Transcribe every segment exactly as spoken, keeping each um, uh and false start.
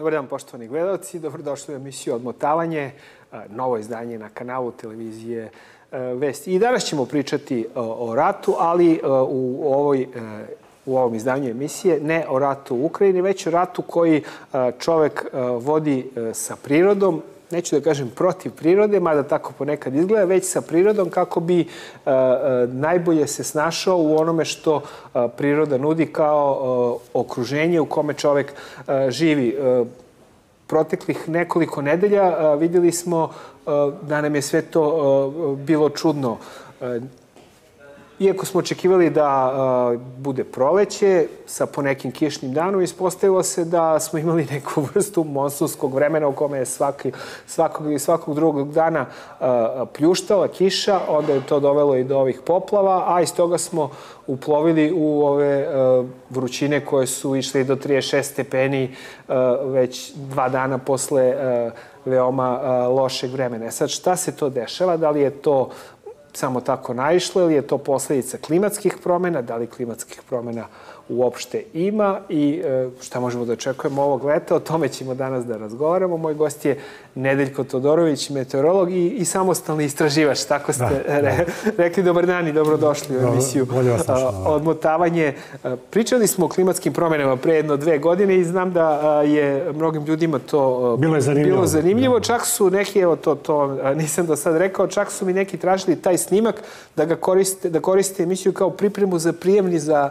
Dobar dan, poštovani gledalci. Dobrodošli u emisiju Odmotavanje, novo izdanje na kanalu televizije Vesti. I danas ćemo pričati o ratu, ali u, ovoj, u ovom izdanju emisije ne o ratu u Ukrajini, već o ratu koji čovek vodi sa prirodom. Neću da kažem protiv prirode, mada tako ponekad izgleda, već sa prirodom kako bi uh, najbolje se snašao u onome što uh, priroda nudi kao uh, okruženje u kome čovek uh, živi. Uh, proteklih nekoliko nedelja uh, vidjeli smo uh, da nam je sve to uh, bilo čudno. Uh, Iako smo očekivali da uh, bude proleće sa ponekim kišnim danom, ispostavilo se da smo imali neku vrstu monsunskog vremena u kome je svaki, svakog i svakog drugog dana uh, pljuštala kiša, onda je to dovelo i do ovih poplava, a iz toga smo uplovili u ove uh, vrućine koje su išle do trideset šest stepeni uh, već dva dana posle uh, veoma uh, lošeg vremena. Sad, šta se to dešava? Da li je to samo tako naišlo ili je to posledica klimatskih promjena, da li klimatskih promjena uopšte ima i šta možemo da očekujemo ovog leta, o tome ćemo danas da razgovaramo. Moj gost je Nedeljko Todorović, meteorolog i, i samostalni istraživač, tako ste da, re, da. rekli. Dobar dan i dobrodošli u emisiju Odmotavanje. Pričali smo o klimatskim promjenama pre jedno dve godine i znam da je mnogim ljudima to bilo je zanimljivo. Bilo zanimljivo. Čak su neki, evo to, to nisam do sad rekao, čak su mi neki tražili taj snimak da ga koriste, da koriste emisiju kao pripremu za prijemni za,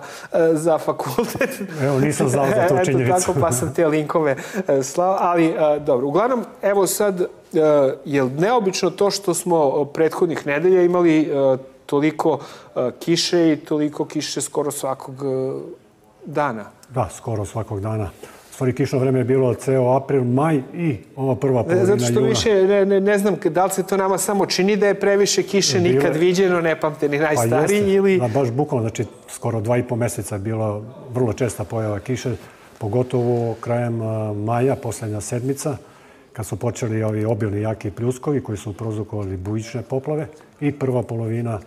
za fakultet. Evo, nisam znao za to činjenicu. Eto tako, pa sam te linkove slao. Ali, dobro, uglavnom, evo sad, je neobično to što smo prethodnih nedelja imali toliko kiše i toliko kiše skoro svakog dana? Da, skoro svakog dana. Stvari, kišno vreme je bilo ceo april, maj i ova prva polovina juna. Zato što više, ne, ne, ne znam, da li se to nama samo čini da je previše kiše Bile, nikad viđeno, ne pamte ni najstariji, pa ili... Da, baš bukvalno, znači, skoro dva i po meseca je bila vrlo česta pojava kiše, pogotovo krajem maja, poslednja sedmica, kad su počeli ovi obilni jaki pljuskovi koji su prouzrokovali bujične poplave i prva polovina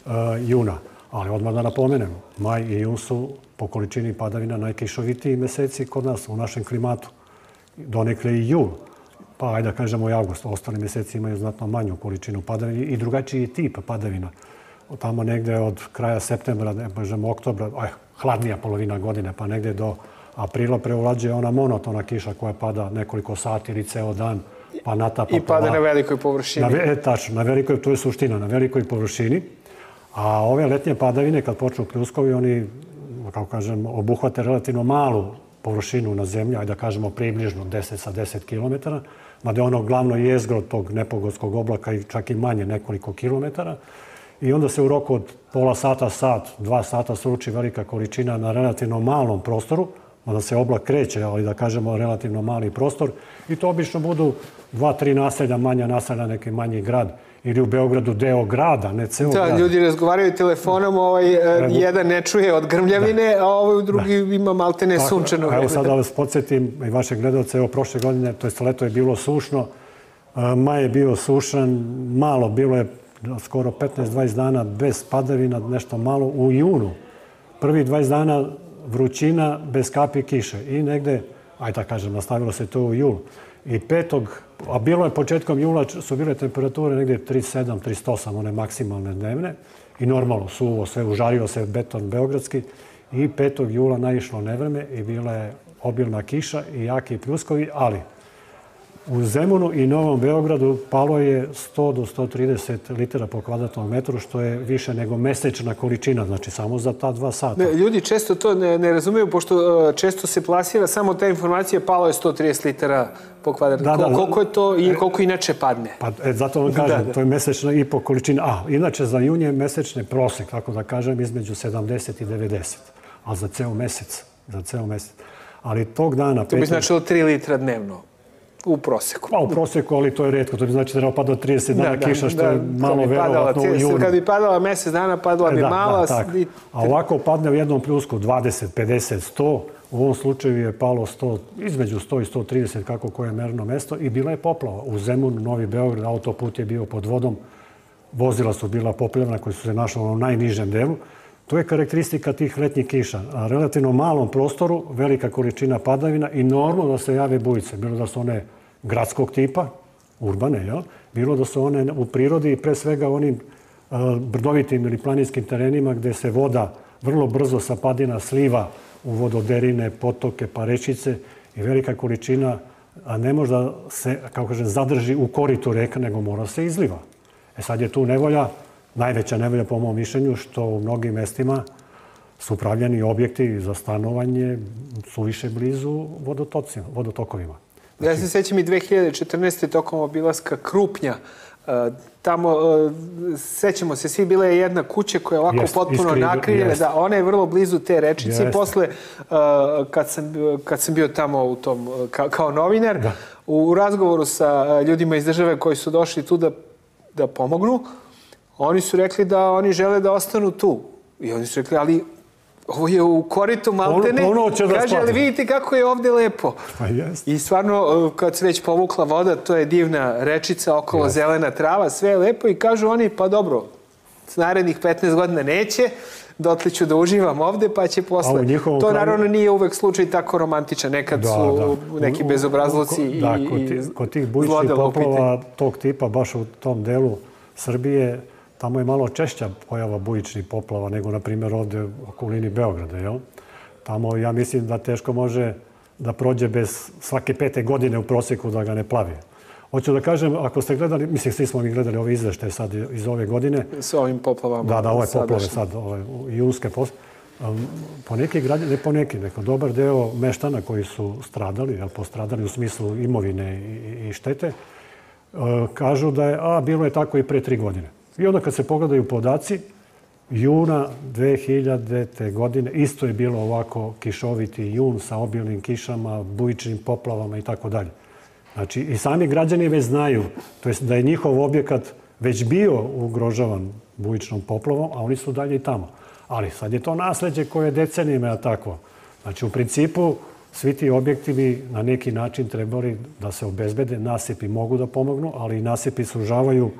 uh, juna. Ali odmah da napomenem, maj i jun su po količini padavina najkišovitiji meseci kod nas u našem klimatu. Donekle i jul, pa ajde da kažemo i avgust. Ostali meseci imaju znatno manju količinu padavina i drugačiji tip padavina. Tamo negde od kraja septembra, ne kažemo oktobra, aj, hladnija polovina godine, pa negde do aprila preulađe ona monotona kiša koja pada nekoliko sati ili ceo dan, pa natapa. I pada na velikoj površini. Na, e, tačno, na velikoj, to je suština, na velikoj površini. A ove letnje padavine, kad počnu pljuskovi, oni, kako kažem, obuhvate relativno malu površinu na zemlji, ajde da kažemo približno deset sa deset kilometara, mada je ono glavno jezgro tog nepogodskog oblaka i čak i manje nekoliko kilometara. I onda se u roku od pola sata, sat, dva sata sruči velika količina na relativno malom prostoru, onda se oblak kreće, ali da kažemo relativno mali prostor. I to obično budu dva, tri naselja, manja naselja, neki manji grad. Ili u Beogradu deo grada, ne ceo grad. Da, ljudi razgovaraju telefonom, ovaj, jedan ne čuje od grmljavine, a ovaj drugi ima maltene sunčano vreme. Evo sad da vas podsjetim i vaše gledalce, evo prošle godine, to jest leto je bilo sušno, maj je bio sušan, malo, bilo je skoro petnaest dvadeset dana bez padavina, nešto malo u junu. Prvi dvadeset dana vrućina bez kapi kiše i negde, ajde da kažem, nastavilo se to u jul. I petog, a bilo je početkom jula, su bile temperature negdje trideset sedam trideset osam, one maksimalne dnevne. I normalno, suvo, sve užario se beton beogradski. I petog jula naišlo nevreme i bila je obilna kiša i jaki pljuskovi, ali u Zemunu i Novom Beogradu palo je sto do sto trideset litara po kvadratnom metru, što je više nego mesečna količina, znači samo za ta dva sata. Ne, ljudi često to ne, ne razumiju, pošto uh, često se plasira samo ta informacija, palo je sto trideset litara po kvadratnom. Da, da, koliko je to i koliko inače padne? Pa, e, zato vam kažem, da, da. To je mesečna i po količina. A, inače za jun je mesečni prosek, tako da kažem, između sedamdeset i devedeset. Ali za ceo mesec, za ceo mesec. Ali tog dana... To bi značilo tri litra dnevno. U proseku. Pa u proseku, ali to je retko. To bi znači da treba pada trideset dana kiša, što je malo verovatno u junu. Kad bi padala mesec dana, padala bi mala. A ovako padne u jednom pljusku dvadeset, pedeset, sto. U ovom slučaju je palo sto, između sto i sto trideset, kako koje merno mesto. I bila je poplava. U Zemunu, Novi Beograd, autoput je bio pod vodom. Vozila su bila poplavljena koji su se našli u najnižem delu. To je karakteristika tih letnjih kiša. A relativno malom prostoru, velika količina padavina i normalno da se jave bujice. Bilo da su one gradskog tipa, urbane, jel? Bilo da su one u prirodi i pre svega onim brdovitim ili planinskim terenima gde se voda vrlo brzo sa padina sliva u vododerine, potoke, pa rečice i velika količina, a ne može da se, kako kažem, zadrži u koritu reka, nego mora se izliva. E sad je tu nevolja, najveća nevolja po mom mišljenju, što u mnogim mestima su pravljeni objekti za stanovanje suviše blizu vodotokovima. Ja se sećam i dve hiljade četrnaeste. tokom obilaska Krupnja. Tamo, sećamo se, svi bila je jedna kuća koja je ovako potpuno nakrivljena. Da, ona je vrlo blizu te rečice. I posle, kad sam bio tamo u tom, kao novinar, u razgovoru sa ljudima iz države koji su došli tu da pomognu, oni su rekli da oni žele da ostanu tu. I oni su rekli, ali ovo je u koritu maltene. Kaže, ali vidite kako je ovde lepo. I stvarno, kad se već povukla voda, to je divna rečica, okolo zelena trava, sve je lepo. I kažu oni, pa dobro, s narednih petnaest godina neće, dotle ću da uživam ovde, pa će posle. To naravno nije uvek slučaj tako romantičan. Nekad su neki bezobrazluci i zlodela u pitanju. Kod tih bujičnih poplava tog tipa, baš u tom delu Srbije, tamo je malo češća pojava bujičnih poplava nego, na primjer, ovde u okolini Beograda, jel? Tamo, ja mislim da teško može da prođe bez svake pete godine u proseku da ga ne plavi. Hoću da kažem, ako ste gledali, mislim, svi smo mi gledali ove izveštaje sad iz ove godine. S ovim poplavama. Da, da, ove poplave sad, ove junske poslave. Po neki građani, ne po neki, neko dobar deo meštana koji su stradali, jel, postradali u smislu imovine i štete, kažu da je, a, bilo je tako i pre tri godine. I onda kad se pogledaju podaci, juna dve hiljadite. godine isto je bilo ovako kišoviti jun sa obilnim kišama, bujičnim poplavama i tako dalje. Znači, i sami građani već znaju, to jest da je njihov objekat već bio ugrožavan bujičnom poplavom, a oni su dalje i tamo. Ali sad je to nasleđe koje je decenijama takvo. Znači, u principu, svi ti objekti bi na neki način trebali da se obezbede. Nasipi mogu da pomognu, ali i nasipi sužavaju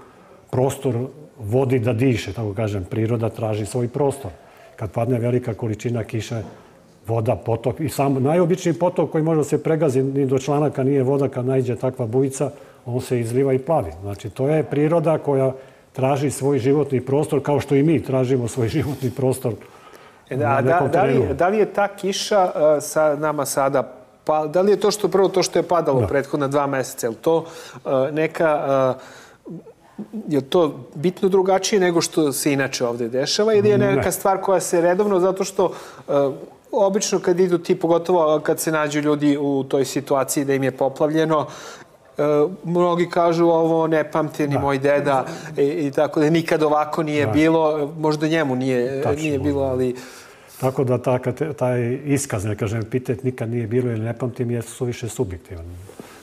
prostor vodi da diše, tako kažem. Priroda traži svoj prostor. Kad padne velika količina kiše, voda, potok, i sam najobičniji potok koji može da se pregazi, ni do članaka nije voda, kad naiđe takva bujica, on se izliva i plavi. Znači, to je priroda koja traži svoj životni prostor, kao što i mi tražimo svoj životni prostor na nekom terenu. Da li je ta kiša sa nama sada, da li je to što prvo to što je padalo prethodna dva meseca, je li to neka... Je to bitno drugačije nego što se inače ovde dešava ili je neka stvar koja se redovno, zato što obično kad idu ti, pogotovo kad se nađu ljudi u toj situaciji da im je poplavljeno, mnogi kažu ovo ne pamti ni moj deda i tako da nikad ovako nije bilo, možda njemu nije bilo, ali... Tako da taj iskaz, ne kažem, epitet nikad nije bilo ili ne pamtim, je suviše subjektivan.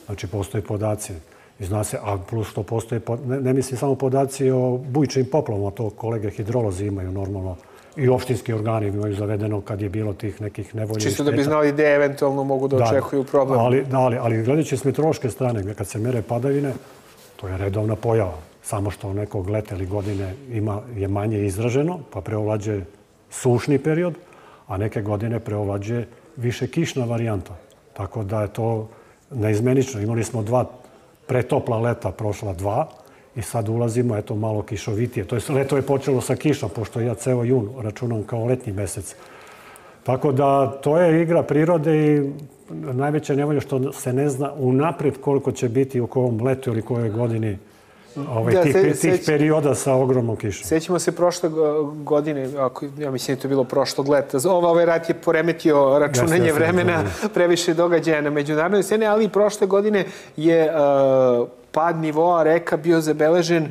Znači, postoje podaci. I zna se, a plus što postoje, ne mislim samo podaci o bujičnim poplavama, to kolege hidrolozi imaju normalno i opštinski organi imaju zavedeno kad je bilo tih nekih nevolja i šteta. Čisto da bi znali gde eventualno mogu da očekuju problem. Ali gledajući s meteorološke strane, kad se mere padavine, to je redovna pojava. Samo što nekog leta ili godine je manje izraženo, pa preovlađuje sušni period, a neke godine preovlađuje više kišna varijanta. Tako da je to neizmenično. Imali smo dva pretopla leta, prošla dva, i sad ulazimo, eto, malo kišovitije. To je, leto je počelo sa kišom, pošto ja ceo jun računam kao letnji mesec. Tako da, to je igra prirode i najveća nevolja što se ne zna unapred koliko će biti u kojem letu ili kojoj godini tih perioda sa ogromnom kišom. Sećamo se prošle godine, ja mislim da je to bilo prošlog leta, ovaj rat je poremetio računanje vremena, previše događaja na međunarodnoj sceni, ali i prošle godine je pad nivoa reka bio zabeležen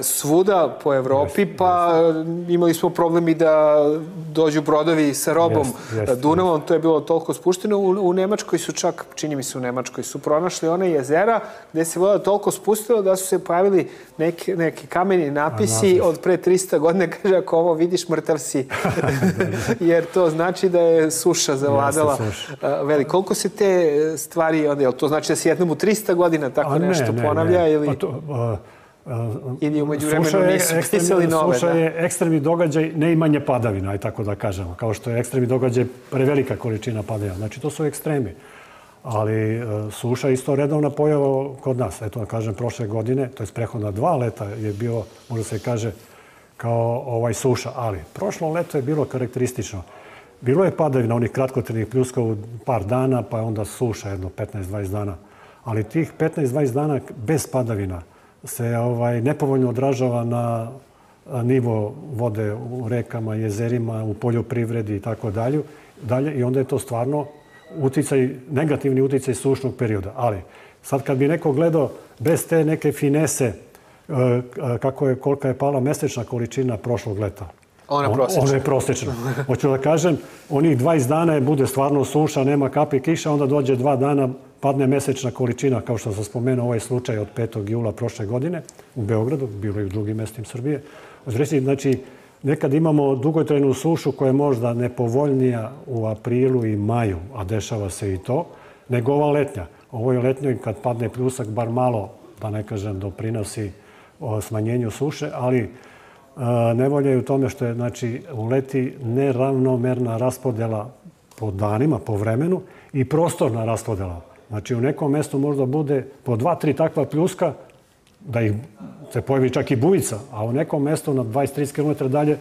svuda po Evropi, pa imali smo problemi da dođu brodovi sa robom Dunavom, to je bilo toliko spušteno. U Nemačkoj su čak, čini mi se u Nemačkoj, su pronašli one jezera gde se voda toliko spustila da su se pojavili neki kameni napisi od pre trista godina, kaže, ako ovo vidiš, mrtav si. Jer to znači da je suša zavladala veliko. Koliko se te stvari, to znači da se jednom u trista godina tako nešto ponavlja? Ili umeđu vremenu nisu pisali nove. Suša je ekstremni događaj, ne imanje padavina, aj tako da kažemo. Kao što je ekstremni događaj prevelika količina padavina. Znači, to su ekstremi. Ali suša je isto redovna pojava kod nas. Eto, da kažem, prošle godine, to je prethodna dva leta, je bilo, možda se kaže, kao ovaj suša. Ali prošlo leto je bilo karakteristično. Bilo je padavina onih kratkotrajnih pljuska u par dana, pa je onda suša jedno petnaest dvadeset dana. Ali tih petnaest dvadeset dana bez padavina se ovaj, nepovoljno odražava na nivo vode u rekama, jezerima, u poljoprivredi i tako dalje. I onda je to stvarno uticaj, negativni uticaj sušnog perioda. Ali sad kad bi neko gledao bez te neke finese kako je, kolika je pala mesečna količina prošlog leta. Ona je prosječna. Ona je prosječna. Hoću da kažem, onih dvadeset dana je bude stvarno suša, nema kapi kiša, onda dođe dva dana, padne mesečna količina, kao što sam spomenuo ovaj slučaj od petog jula prošle godine u Beogradu, bilo i u drugim mestima Srbije. Znači, nekad imamo dugotrajnu sušu koja je možda nepovoljnija u aprilu i maju, a dešava se i to, nego ova letnja. Ovo je letnjoj kad padne pljusak, bar malo, da ne kažem, doprinosi smanjenju suše, ali nevolja je u tome što je, znači, u leti neravnomerna raspodjela po danima, po vremenu i prostorna raspodjela. Znači, u nekom mestu možda bude po dva, tri takva pljuska, da ih se pojavi čak i bujica, a u nekom mestu na dvadeset do trideset kilometara dalje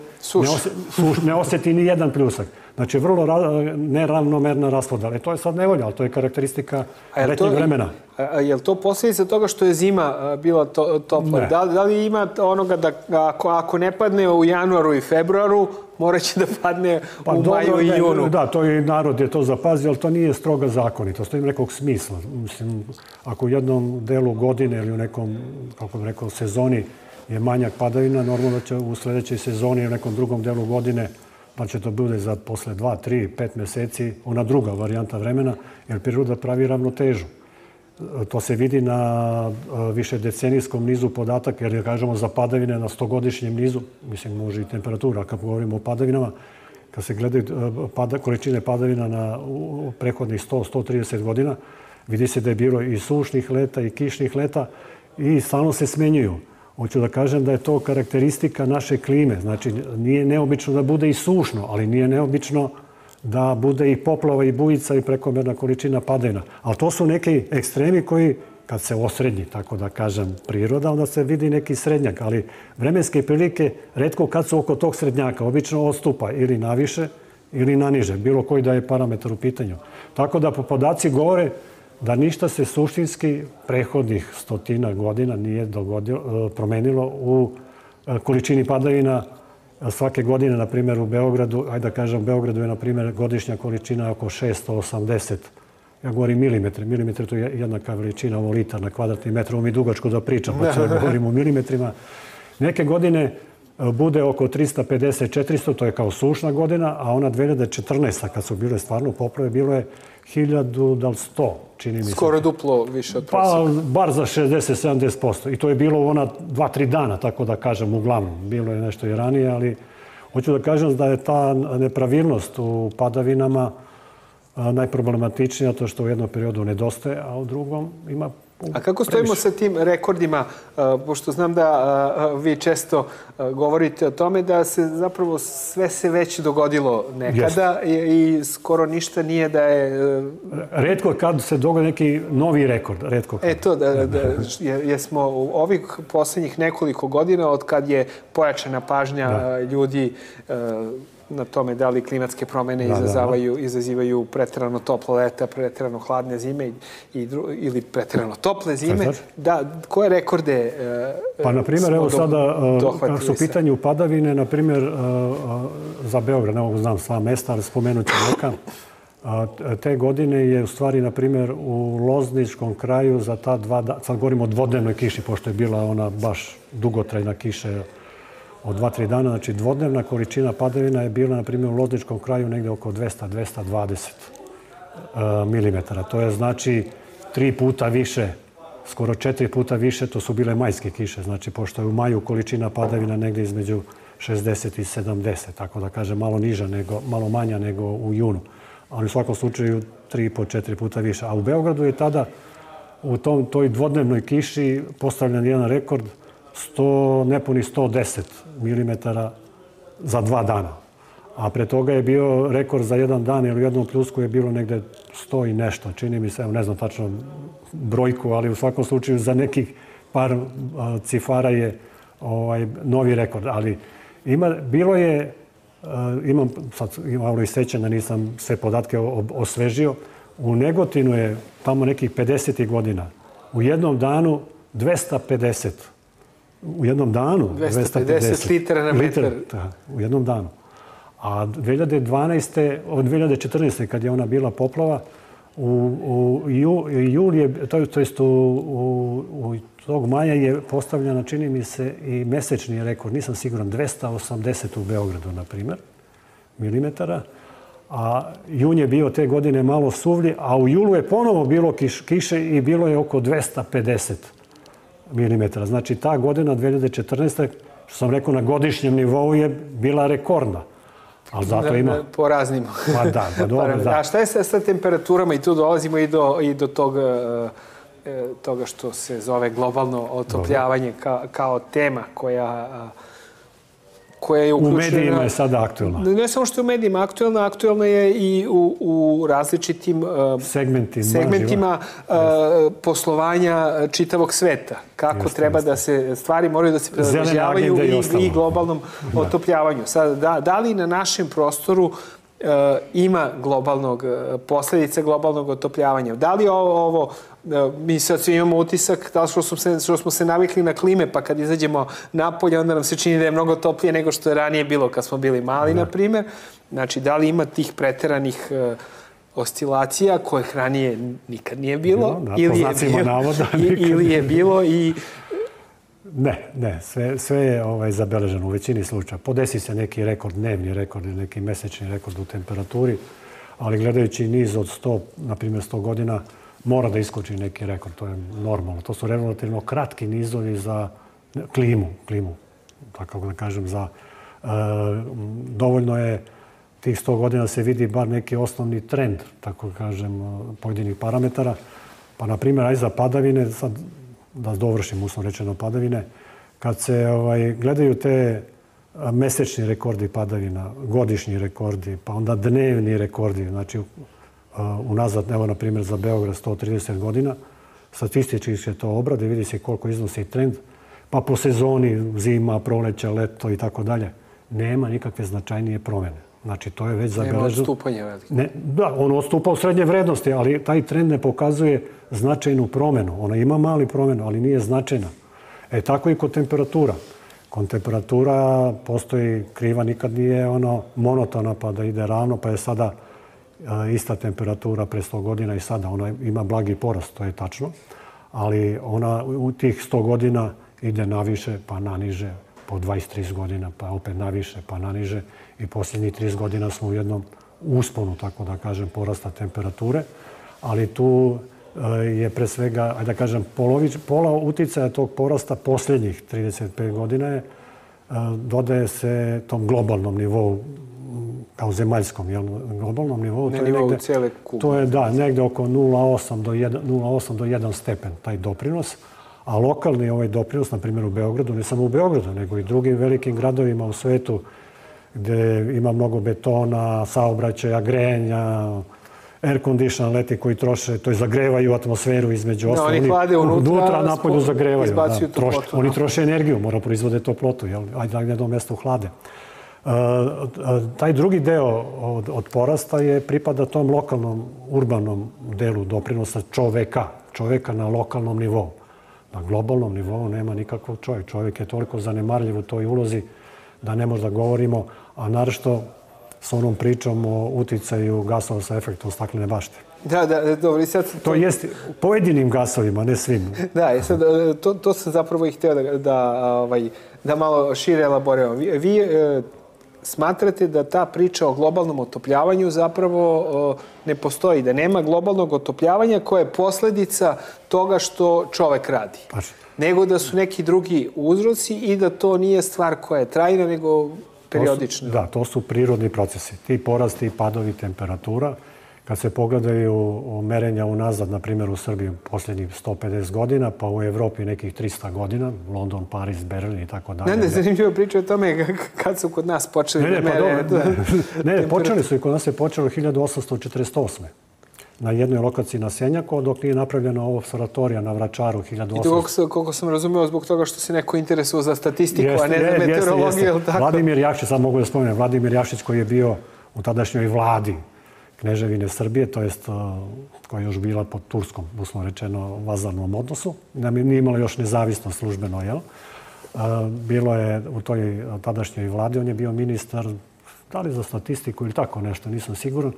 ne osjeti ni jedan pljusak. Znači, vrlo neravnomerna raspodjela. I to je sad nevolja, ali to je karakteristika letnjeg vremena. Je li to posljedica toga što je zima bila topla? Da li ima onoga da ako ne padne u januaru i februaru, morat će da padne u maju i junu? Da, to je narod je to zapazio, ali to nije stroga zakonitost. To ima nekog smisla. Mislim, ako u jednom delu godine ili u nekom, kako bih rekao, sezoni je manjak padavina, normalno da će u sljedećoj sezoni i u nekom drugom delu godine pa će to bude za posle dva, tri, pet meseci, ona druga varijanta vremena, jer priroda pravi ravnotežu. To se vidi na višedecenijskom nizu podataka, jer kažemo za padavine na stogodišnjem nizu, mislim može i temperatura, kad govorimo o padavinama, kad se gledaju količine padavina na prehodnih sto do sto trideset godina, vidi se da je bilo i sušnih leta i kišnih leta i stalno se smenjuju. Hoću da kažem da je to karakteristika naše klime. Znači, nije neobično da bude i sušno, ali nije neobično da bude i poplava i bujica i prekomerna količina padavina. Ali to su neki ekstremi koji, kad se osrednji, tako da kažem, priroda, onda se vidi neki srednjak. Ali vremenske prilike, retko kad su oko tog srednjaka, obično odstupa ili naviše ili naniže, bilo koji da je parametar u pitanju. Tako da podaci govore da ništa se suštinski prehodnih stotina godina nije promenilo u količini padavina svake godine, na primjer u Beogradu. Ajde da kažem, u Beogradu je, na primjer, godišnja količina oko šesto osamdeset. Ja govorim milimetre. Milimetre to je jednaka veličina, ovo litar na kvadratni metar. Ovo mi dugačko da pričam, pa ću govorim u milimetrima. Neke godine bude oko trista pedeset do četiristo, to je kao sušna godina, a ona dve hiljade četrnaesta. kad su bile stvarno poplave, bilo je hiljadu do sto, čini mi se. Skoro duplo više od prosjeka. Pa, bar za šezdeset do sedamdeset posto. I to je bilo ona dva, tri dana, tako da kažem, uglavnom. Bilo je nešto i ranije, ali hoću da kažem da je ta nepravilnost u padavinama najproblematičnija, to što u jednom periodu nedostaje, a u drugom ima A kako stojimo sa tim rekordima, pošto znam da vi često govorite o tome da se zapravo sve se već dogodilo nekada i skoro ništa nije da je... Retko kad se dogodi neki novi rekord, retko kad. Eto, jer smo u ovih posljednjih nekoliko godina, od kad je pojačana pažnja ljudi na tome da li klimatske promjene izazivaju preterano toplo leta, preterano hladne zime ili preterano tople zime. Koje rekorde smo dohvatili? Pa, na primjer, evo sada, kako su pitanju padavine, na primjer, za Beograd, ne mogu znam sva mesta, ali spomenut ću neka. Te godine je, u stvari, na primjer, u Lozničkom kraju za ta dva dana, sad govorimo o dvodnevnoj kiši, pošto je bila ona baš dugotrajna kiša od dva, tri dana, znači dvodnevna količina padavina je bila, na primjer, u Lozničkom kraju negde oko dvesta do dvesta dvadeset milimetara. To je, znači, tri puta više, skoro četiri puta više, to su bile majske kiše. Znači, pošto je u maju količina padavina negde između šezdeset i sedamdeset, tako da kažem, malo niža, malo manja nego u junu. Ali u svakom slučaju tri po četiri puta više. A u Beogradu je tada u toj dvodnevnoj kiši postavljen jedan rekord. sto, nepunih sto deset milimetara za dva dana. A pre toga je bio rekord za jedan dan, jer u jednom pljusku je bilo negde sto i nešto. Čini mi se, evo ne znam tačno brojku, ali u svakom slučaju za nekih par cifara je ovaj, novi rekord. Ali ima, bilo je, imam sad malo i sećanja, nisam sve podatke osvežio, u Negotinu je tamo nekih pedesetih godina u jednom danu dvesta pedeset. U jednom danu dvesta pedeset litara na metar. Da, u jednom danu. A dve hiljade dvanaeste. od dve hiljade četrnaeste. kad je ona bila poplava, u, u ju, jul je, to, to jest u, u, u tog maja je postavljena, čini mi se, i mesečni rekord, nisam siguran, dvesta osamdeset u Beogradu, na primjer, milimetara. A jun je bio te godine malo suvlji, a u julu je ponovo bilo kiš, kiše i bilo je oko dvesta pedeset milimetara. Znači, ta godina, dve hiljade četrnaeste. što sam rekao, na godišnjem nivou je bila rekordna. Ali zato ima... Po raznim. Pa da, pa dobro, da. A šta je sa, sa temperaturama? I tu dolazimo i do, i do toga, toga što se zove globalno otopljavanje ka, kao tema koja... koja je uključena... U medijima je sada aktuelna. Ne samo što je u medijima aktuelna, aktuelna je i u, u različitim uh, segmentima, segmentima uh, poslovanja čitavog sveta. Kako jeste, treba jeste. da se stvari moraju da se prilagođavaju i, i, i globalnom da. otopljavanju. Sad, da, da li na našem prostoru uh, ima globalnog, uh, posljedice globalnog otopljavanja? Da li ovo, ovo mi sad svi imamo utisak da što smo, se, što smo se navikli na klime, pa kad izađemo napolje, onda nam se čini da je mnogo toplije nego što je ranije bilo kad smo bili mali, na primjer. Znači, da li ima tih preteranih uh, oscilacija kojih ranije nikad nije bilo, da, ili, je bilo navoda, ili je bilo i... Ne, ne, sve, sve je ovaj, zabeleženo u većini slučaja. Podesi se neki rekord, dnevni rekord, neki mesečni rekord u temperaturi, ali gledajući niz od sto, na primjer sto godina, mora da iskoči neki rekord, to je normalno. To su relativno kratki nizovi za klimu, klimu, tako da kažem, za e, dovoljno je tih sto godina se vidi bar neki osnovni trend, tako da kažem, pojedinih parametara. Pa, na primjer, aj za padavine, sad da dovršim uslovno rečeno padavine, kad se ovaj, gledaju te mesečni rekordi padavina, godišnji rekordi, pa onda dnevni rekordi, znači unazad, evo, na primjer, za Beograd sto trideset godina, statistički se to obrade, vidi se koliko iznosi trend, pa po sezoni, zima, proleća, leto i tako dalje, nema nikakve značajnije promjene. Znači, to je već zabeleženo. Nema odstupanja veliko. Ne, da, ono odstupa u srednje vrednosti, ali taj trend ne pokazuje značajnu promjenu. Ona ima mali promjenu, ali nije značajna. E, tako i kod temperatura. Kod temperatura postoji kriva, nikad nije ono monotona pa da ide ravno, pa je sada ista temperatura pre sto godina i sada. Ona ima blagi porast, to je tačno, ali ona u tih sto godina ide naviše pa naniže, po dvadeset trideset godina pa opet naviše pa naniže i posljednjih trideset godina smo u jednom usponu, tako da kažem, porasta temperature, ali tu je pre svega, ajde da kažem, polovič, pola uticaja tog porasta posljednjih trideset pet godina je, dodaje se tom globalnom nivou, kao zemaljskom, jel, globalnom nivou. Na nivou cijele kugle. To je, da, negde oko nula zarez osam do jedan stepen, taj doprinos. A lokalni ovaj doprinos, na primjer u Beogradu, ne samo u Beogradu, nego i drugim velikim gradovima u svetu, gde ima mnogo betona, saobraćaja, grejanja, air condition leti koji troše, to je zagrevaju atmosferu između ostalo. Oni hlade unutra, unutra napolju zagrevaju. Izbacuju da, troš, toplotu. Oni troše energiju, mora proizvode toplotu, jel? Ajde da jedno mjesto uhlade. Uh, taj drugi deo od, od porasta je pripada tom lokalnom, urbanom delu doprinosa čoveka, čoveka na lokalnom nivou. Na globalnom nivou nema nikakvog čovjeka. Čovjek je toliko zanemarljiv u toj ulozi da ne možda govorimo, a naročito s onom pričom o uticaju gasova sa efektom staklene bašte. Da, da, dobro. Sad... To jest pojedinim gasovima, ne svim. Da, sad, to, to sam zapravo i htio da, da, ovaj, da malo šire elaboriramo. Vi, vi e, smatrate da ta priča o globalnom otopljavanju zapravo o, ne postoji, da nema globalnog otopljavanja koje je posljedica toga što čovek radi. Paš. Nego da su neki drugi uzroci i da to nije stvar koja je trajna, nego periodična. Da, to su prirodni procesi. Ti porasti i padovi temperatura kad se pogledaju merenja unazad, na primjer u Srbiji posljednjih sto pedeset godina, pa u Evropi nekih trista godina, London, Pariz, Berlin i tako dalje. Ne, ne, zanimljivo priča o tome kad su kod nas počeli da mere. Ne, ne, počeli su i kod nas je počelo hiljadu osamsto četrdeset osme. Na jednoj lokaciji na Senjaku, dok nije napravljena ovo observatorija na Vračaru hiljadu osamsto. I to koliko sam razumio zbog toga što se neko interesuo za statistiku, a ne za meteorologiju, ili tako? Vladimir Jakšić, sad mogu da spomenem, Vladimir Jakšić koji je bio u tadašnjoj vladi Kneževine Srbije, to jest koja je još bila pod turskom, uslovno rečeno, vazalnom odnosu. Nije imala još nezavisnost službeno, jel? Bilo je u toj tadašnjoj vladi, on je bio ministar, da li za statistiku ili tako nešto, nisam siguran.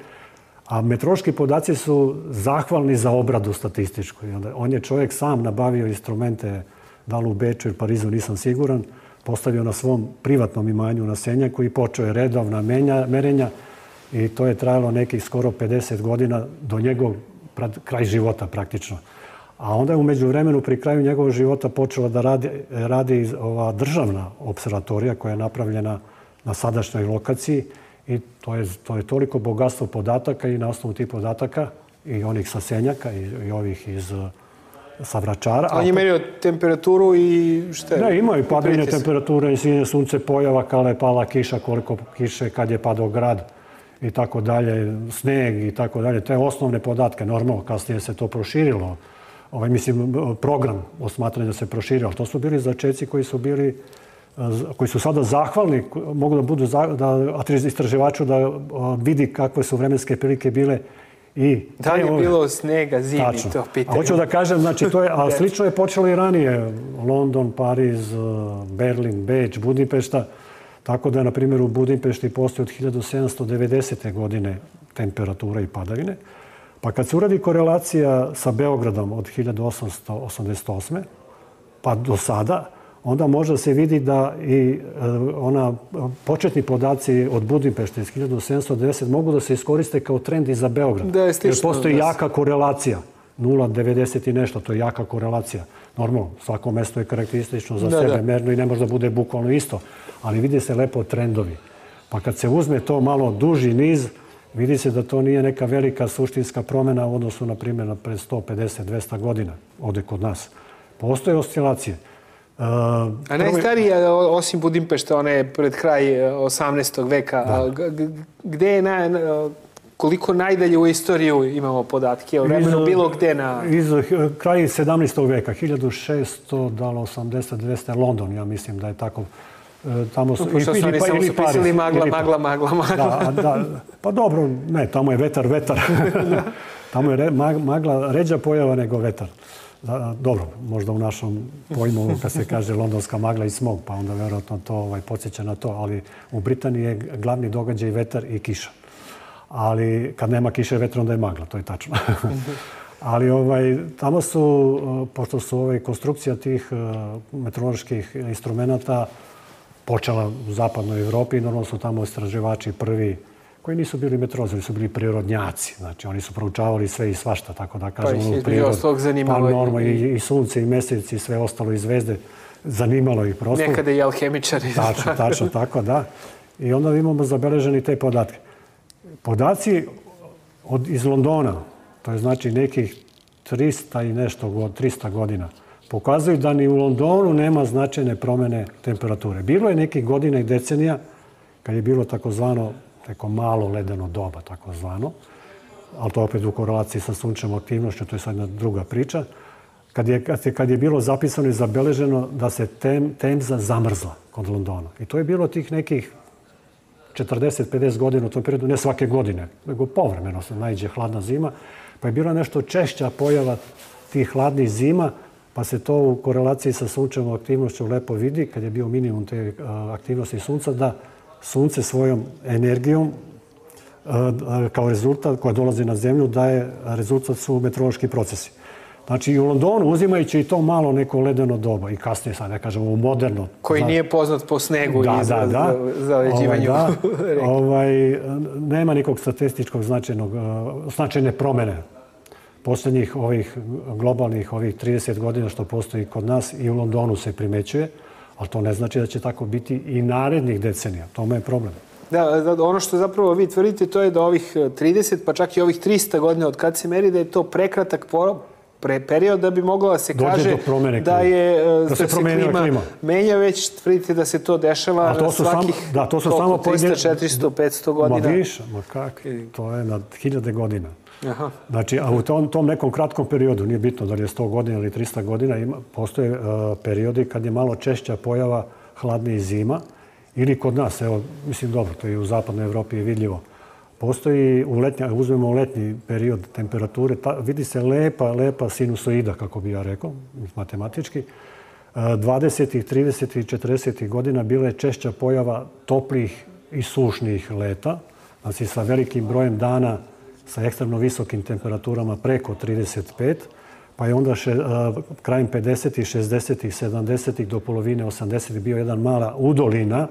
A meteorološki podaci su zahvalni za obradu statističku. On je čovjek sam nabavio instrumente, da li u Beču ili Parizu, nisam siguran, postavio na svom privatnom imanju na Senjaku i počeo je redovna merenja. I to je trajalo nekih skoro pedeset godina do njegovog kraj života praktično. A onda je u međuvremenu pri kraju njegovog života počela da radi, radi ova državna observatorija koja je napravljena na sadašnjoj lokaciji i to je, to je toliko bogatstvo podataka i na osnovu tih podataka i onih sa Senjaka i, i ovih iz sa Vračara. On je merio temperaturu i šta je? Ne, imaju padanje temperature, svinje, sunce, pojava, kada je pala kiša, koliko kiše, kad je padao grad i tako dalje, sneg i tako dalje. Te osnovne podatke, normalno, kasnije se to proširilo. Ovaj, mislim, program osmatranja se proširio, ali to su bili začeci koji su bili, koji su sada zahvalni, mogu da budu, da istraživaču da vidi kakve su vremenske prilike bile. I da li je bilo snega, zimi, tačno. To pitanje? A hoću da kažem, znači, to je, a slično je počelo i ranije. London, Pariz, Berlin, Beč, Budimpešta. Tako da, na primjer, u Budimpešti postoji od hiljadu sedamsto devedesete. godine temperatura i padavine. Pa kad se uradi korelacija sa Beogradom od hiljadu osamsto osamdeset osme. pa do sada, onda može se vidi da i ona početni podaci od Budimpešte iz hiljadu sedamsto devedesete. mogu da se iskoriste kao trend i za Beograd. Da je slično, jer postoji da jaka korelacija. nula zarez devedeset i nešto, to je jaka korelacija. Normalno, svako mesto je karakteristično za da, sebe, da. merno i ne može da bude bukvalno isto. Ali vidi se lepo trendovi. Pa kad se uzme to malo duži niz, vidi se da to nije neka velika suštinska promjena u odnosu, na primjer, na pred sto pedeset do dvesta godina, ovdje kod nas. Postoje oscilacije. Uh, A najstarija, osim Budimpešta, ona je pred kraj osamnaestog veka. Da. Gde je na, koliko najdalje u istoriju imamo podatke o vremenu bilo gde na... Iz kraja sedamnaestog veka, hiljadu šesto osamdeset deveteste. London, ja mislim da je tako. Tamo su, no, što su oni samo su pisali magla, magla, magla, magla. Da, da, pa dobro, ne, tamo je vetar, vetar. Tamo je re, magla ređa pojava nego vetar. Da, dobro, možda u našom pojmu kad se kaže londonska magla i smog, pa onda vjerojatno to ovaj, podsjeća na to, ali u Britaniji je glavni događaj vetar i kiša. Ali kad nema kiše i vetra, onda je magla, to je tačno. Ali ovaj, tamo su, pošto su ovaj, konstrukcija tih uh, meteoroloških instrumenta počela u zapadnoj Evropi i normalno su tamo istraživači prvi koji nisu bili meteorolozi, su bili prirodnjaci. Znači, oni su proučavali sve i svašta, tako da kažemo, pa, prirod, pa norma, i, i sunce, i mesec, i sve ostalo, i zvezde. Zanimalo ih prosto. Nekada i alhemičari. Tačno, tačno, tako da. I onda imamo zabeleženi te podatke. Podaci od, iz Londona, to je znači nekih trista i nešto, trista godina, pokazuju da ni u Londonu nema značajne promjene temperature. Bilo je nekih godina i decenija kad je bilo takozvano neko malo ledeno doba, takozvano, ali to opet u korelaciji sa sunčevom aktivnošću, to je sad jedna druga priča, kad je, kad je, kad je bilo zapisano i zabeleženo da se tem, Temza zamrzla kod Londona. I to je bilo tih nekih četrdeset do pedeset godina u tom periodu, ne svake godine, nego povremeno se naiđe hladna zima, pa je bila nešto češća pojava tih hladnih zima, pa se to u korelaciji sa sunčevom aktivnošću lepo vidi, kad je bio minimum te aktivnosti sunca, da sunce svojom energijom kao rezultat koja dolazi na zemlju daje rezultat su meteorološki procesi. Znači i u Londonu, uzimajući i to malo neko ledeno doba i kasnije, sad ne kažemo, u moderno. Koji nije poznat po snegu da, i za, da, da. za, za leđivanju. Ovaj, da. ovaj, nema nikog statističkog značajnog, značajne promjene posljednjih ovih globalnih ovih trideset godina što postoji kod nas i u Londonu se primećuje, ali to ne znači da će tako biti i narednih decenija. Tome je problem. Da, ono što zapravo vi tvrdite to je da ovih trideset, pa čak i ovih trista godina od kad se meri, da je to prekratak pre period da bi moglo da se kaže da je da se klima menja, već tvrdite da se to dešava na svakih trista, četiristo, petsto godina. Ma više, ma kak, to je na hiljade godina. Znači, a u tom, tom nekom kratkom periodu, nije bitno da li je sto godina ili trista godina, ima, postoje uh, periodi kad je malo češća pojava hladnije zima ili kod nas, evo, mislim dobro, to je u zapadnoj Evropi je vidljivo. Postoji, u letnja, uzmemo letnji period temperature, ta, vidi se lepa, lepa sinusoida, kako bi ja rekao, matematički. dvadesetih, tridesetih, četrdesetih godina bila je češća pojava toplih i sušnih leta, znači sa velikim brojem dana sa ekstremno visokim temperaturama preko trideset pet, pa je onda še, krajem pedesetih, šezdesetih, sedamdesetih do polovine osamdesetih bio jedan mala udolina,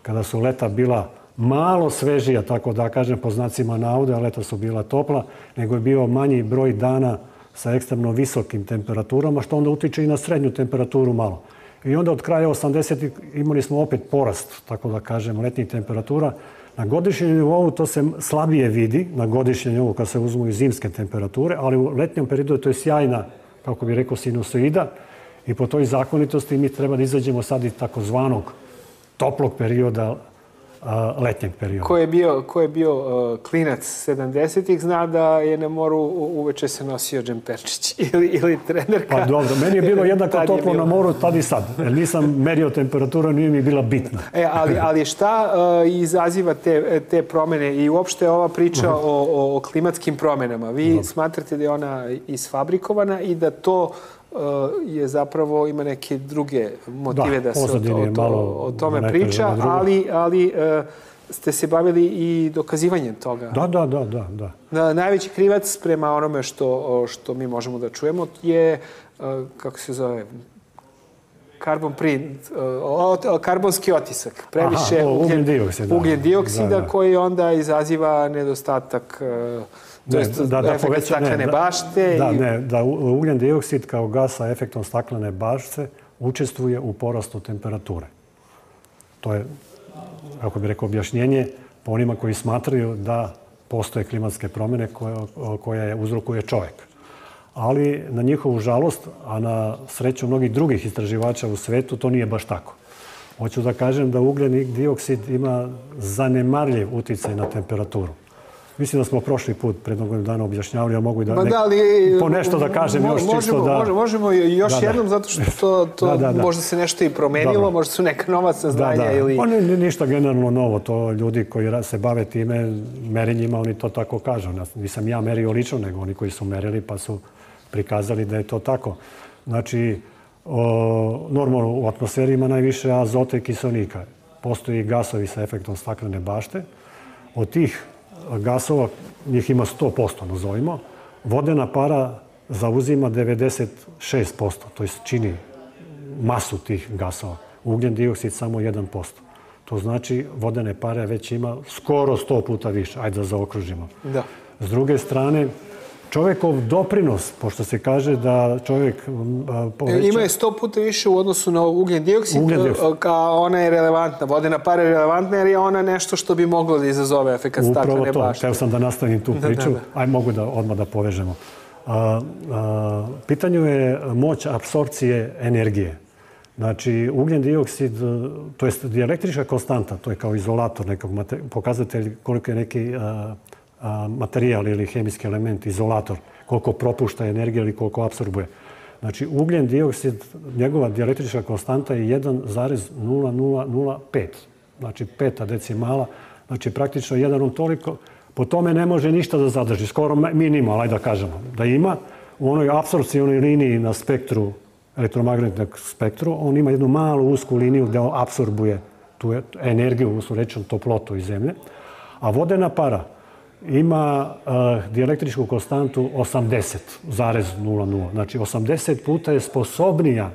kada su leta bila malo svežija, tako da kažem, po znacima navode, a leta su bila topla, nego je bio manji broj dana sa ekstremno visokim temperaturama, što onda utiče i na srednju temperaturu malo. I onda od kraja osamdesetih imali smo opet porast, tako da kažem, letnjih temperatura. Na godišnjem nivou to se slabije vidi, na godišnjem nivou kad se uzmu i zimske temperature, ali u letnjem periodu to je sjajna, kako bi rekao, sinusoida i po toj zakonitosti mi treba da izađemo sad iz takozvanog toplog perioda, letnjeg perioda. Ko je bio, ko je bio uh, klinac sedamdesetih zna da je na moru uveče se nosio džemperčić ili, ili trenerka. Pa dobro, meni je bilo jednako toplo bilo na moru tad i sad. Jer nisam merio temperaturu, nije mi bila bitna. E, ali, ali šta uh, izaziva te, te promene i uopšte ova priča uh-huh. o, o klimatskim promenama? Vi dobro. Smatrate da je ona isfabrikovana i da to je zapravo ima neke druge motive da, da se o, to, o, o tome priča, ali, ali ste se bavili i dokazivanjem toga. Da, da, da, da, da. Na, najveći krivac prema onome što, što mi možemo da čujemo je, kako se zove, carbon print, karbonski otisak. Previše Aha, ugljen dioksida, ugljen dioksida da, da. koji onda izaziva nedostatak to je da, da, efekt poveća, staklene ne, bašte. Da, i... ne, da ugljen dioksid kao gas sa efektom staklene bašte učestvuje u porastu temperature. To je, kako bih rekao, objašnjenje po onima koji smatraju da postoje klimatske promjene koje, koje uzrokuje čovjek. Ali na njihovu žalost, a na sreću mnogih drugih istraživača u svetu, to nije baš tako. Hoću da kažem da ugljen dioksid ima zanemarljiv uticaj na temperaturu. Mislim da smo prošli put pred mnogo dana objašnjavali, a mogu i da, nek... da li, po nešto da kažem mo, još možemo, čisto da... Možemo, možemo još da, jednom, zato što to, to da, da, da. možda se nešto i promenilo, Dobro. možda su neka nova saznanja da, da. ili... Pa ne, ništa generalno novo, to ljudi koji se bave time merenjima, oni to tako kažu. Nisam ja merio lično, nego oni koji su merili pa su prikazali da je to tako. Znači, o, normalno u atmosferi ima najviše azota i kiselnika. Postoji gasovi sa efektom staklene bašte. Od tih gasova, njih ima sto posto, nazovimo. Vodena para zauzima devedeset šest posto, to je čini masu tih gasova. Ugljen dioksid samo jedan posto. To znači vodene pare već ima skoro sto puta više. Ajde da zaokružimo. Da. S druge strane, čovjekov doprinos, pošto se kaže da čovjek poveća... Ima je sto puta više u odnosu na ugljen dioksid, a ona je relevantna. Vodena para je relevantna jer je ona nešto što bi moglo da izazove efekat staklene bašte. Upravo to. Hteo sam da nastavim tu priču. Da, da, da. Aj, mogu da odmah da povežemo. A, a, pitanju je moć apsorpcije energije. Znači, ugljen dioksid, to je dielektrička konstanta, to je kao izolator, nekog pokazatelj koliko je neki... A, materijal ili hemijski element, izolator, koliko propušta energije ili koliko apsorbuje. Znači, ugljen dioksid, njegova dielektrička konstanta je jedan zarez nula nula nula pet. Znači, peta decimala. Znači, praktično jedan on toliko. Po tome ne može ništa da zadrži. Skoro minimal, ajde da kažemo. Da ima u onoj apsorpcionoj liniji na spektru, elektromagnetnog spektru, on ima jednu malu usku liniju gde on apsorbuje tu energiju, odnosno rečeno toplotu iz zemlje. A vodena para ima uh, dielektričku konstantu osamdeset zarez nula nula. Znači, osamdeset puta je sposobnija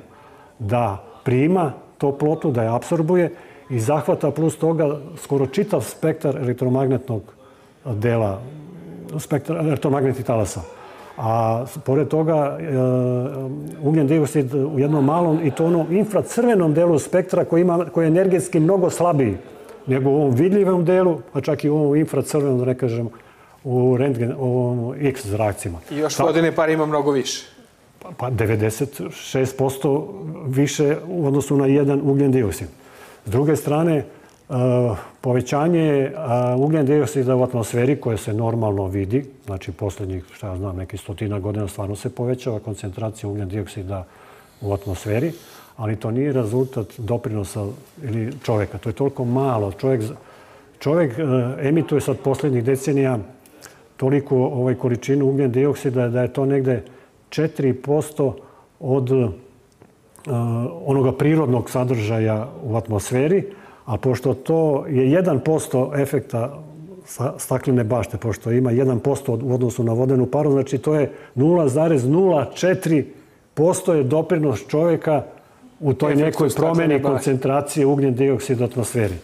da prima toplotu, da je apsorbuje i zahvata plus toga skoro čitav spektar elektromagnetnog dela, spektar elektromagnetnih talasa. A pored toga, uh, ugljen dioksid u jednom malom i to onom infracrvenom delu spektra koji, ima, koji je energetski mnogo slabiji nego u ovom vidljivom delu, pa čak i u ovom infracrvenom, da ne kažem, u rentgen, u X zrakcima. I još vodene pare ima mnogo više. Pa devedeset šest posto više u odnosu na jedan ugljen dioksid. S druge strane, povećanje ugljen dioksida u atmosferi koje se normalno vidi, znači posljednjih, šta ja znam, nekih stotina godina stvarno se povećava koncentracija ugljen dioksida u atmosferi, ali to nije rezultat doprinosa ili čovjeka. To je toliko malo. Čovjek, čovjek emituje sad posljednjih decenija toliko ovaj količinu ugljen dioksida da je to negde četiri posto od uh, onoga prirodnog sadržaja u atmosferi, a pošto to je jedan posto efekta staklene bašte, pošto ima jedan posto u odnosu na vodenu paru, znači to je nula zarez nula četiri posto je doprinos čovjeka u toj nekoj promjeni koncentracije ugljen dioksida u atmosferi.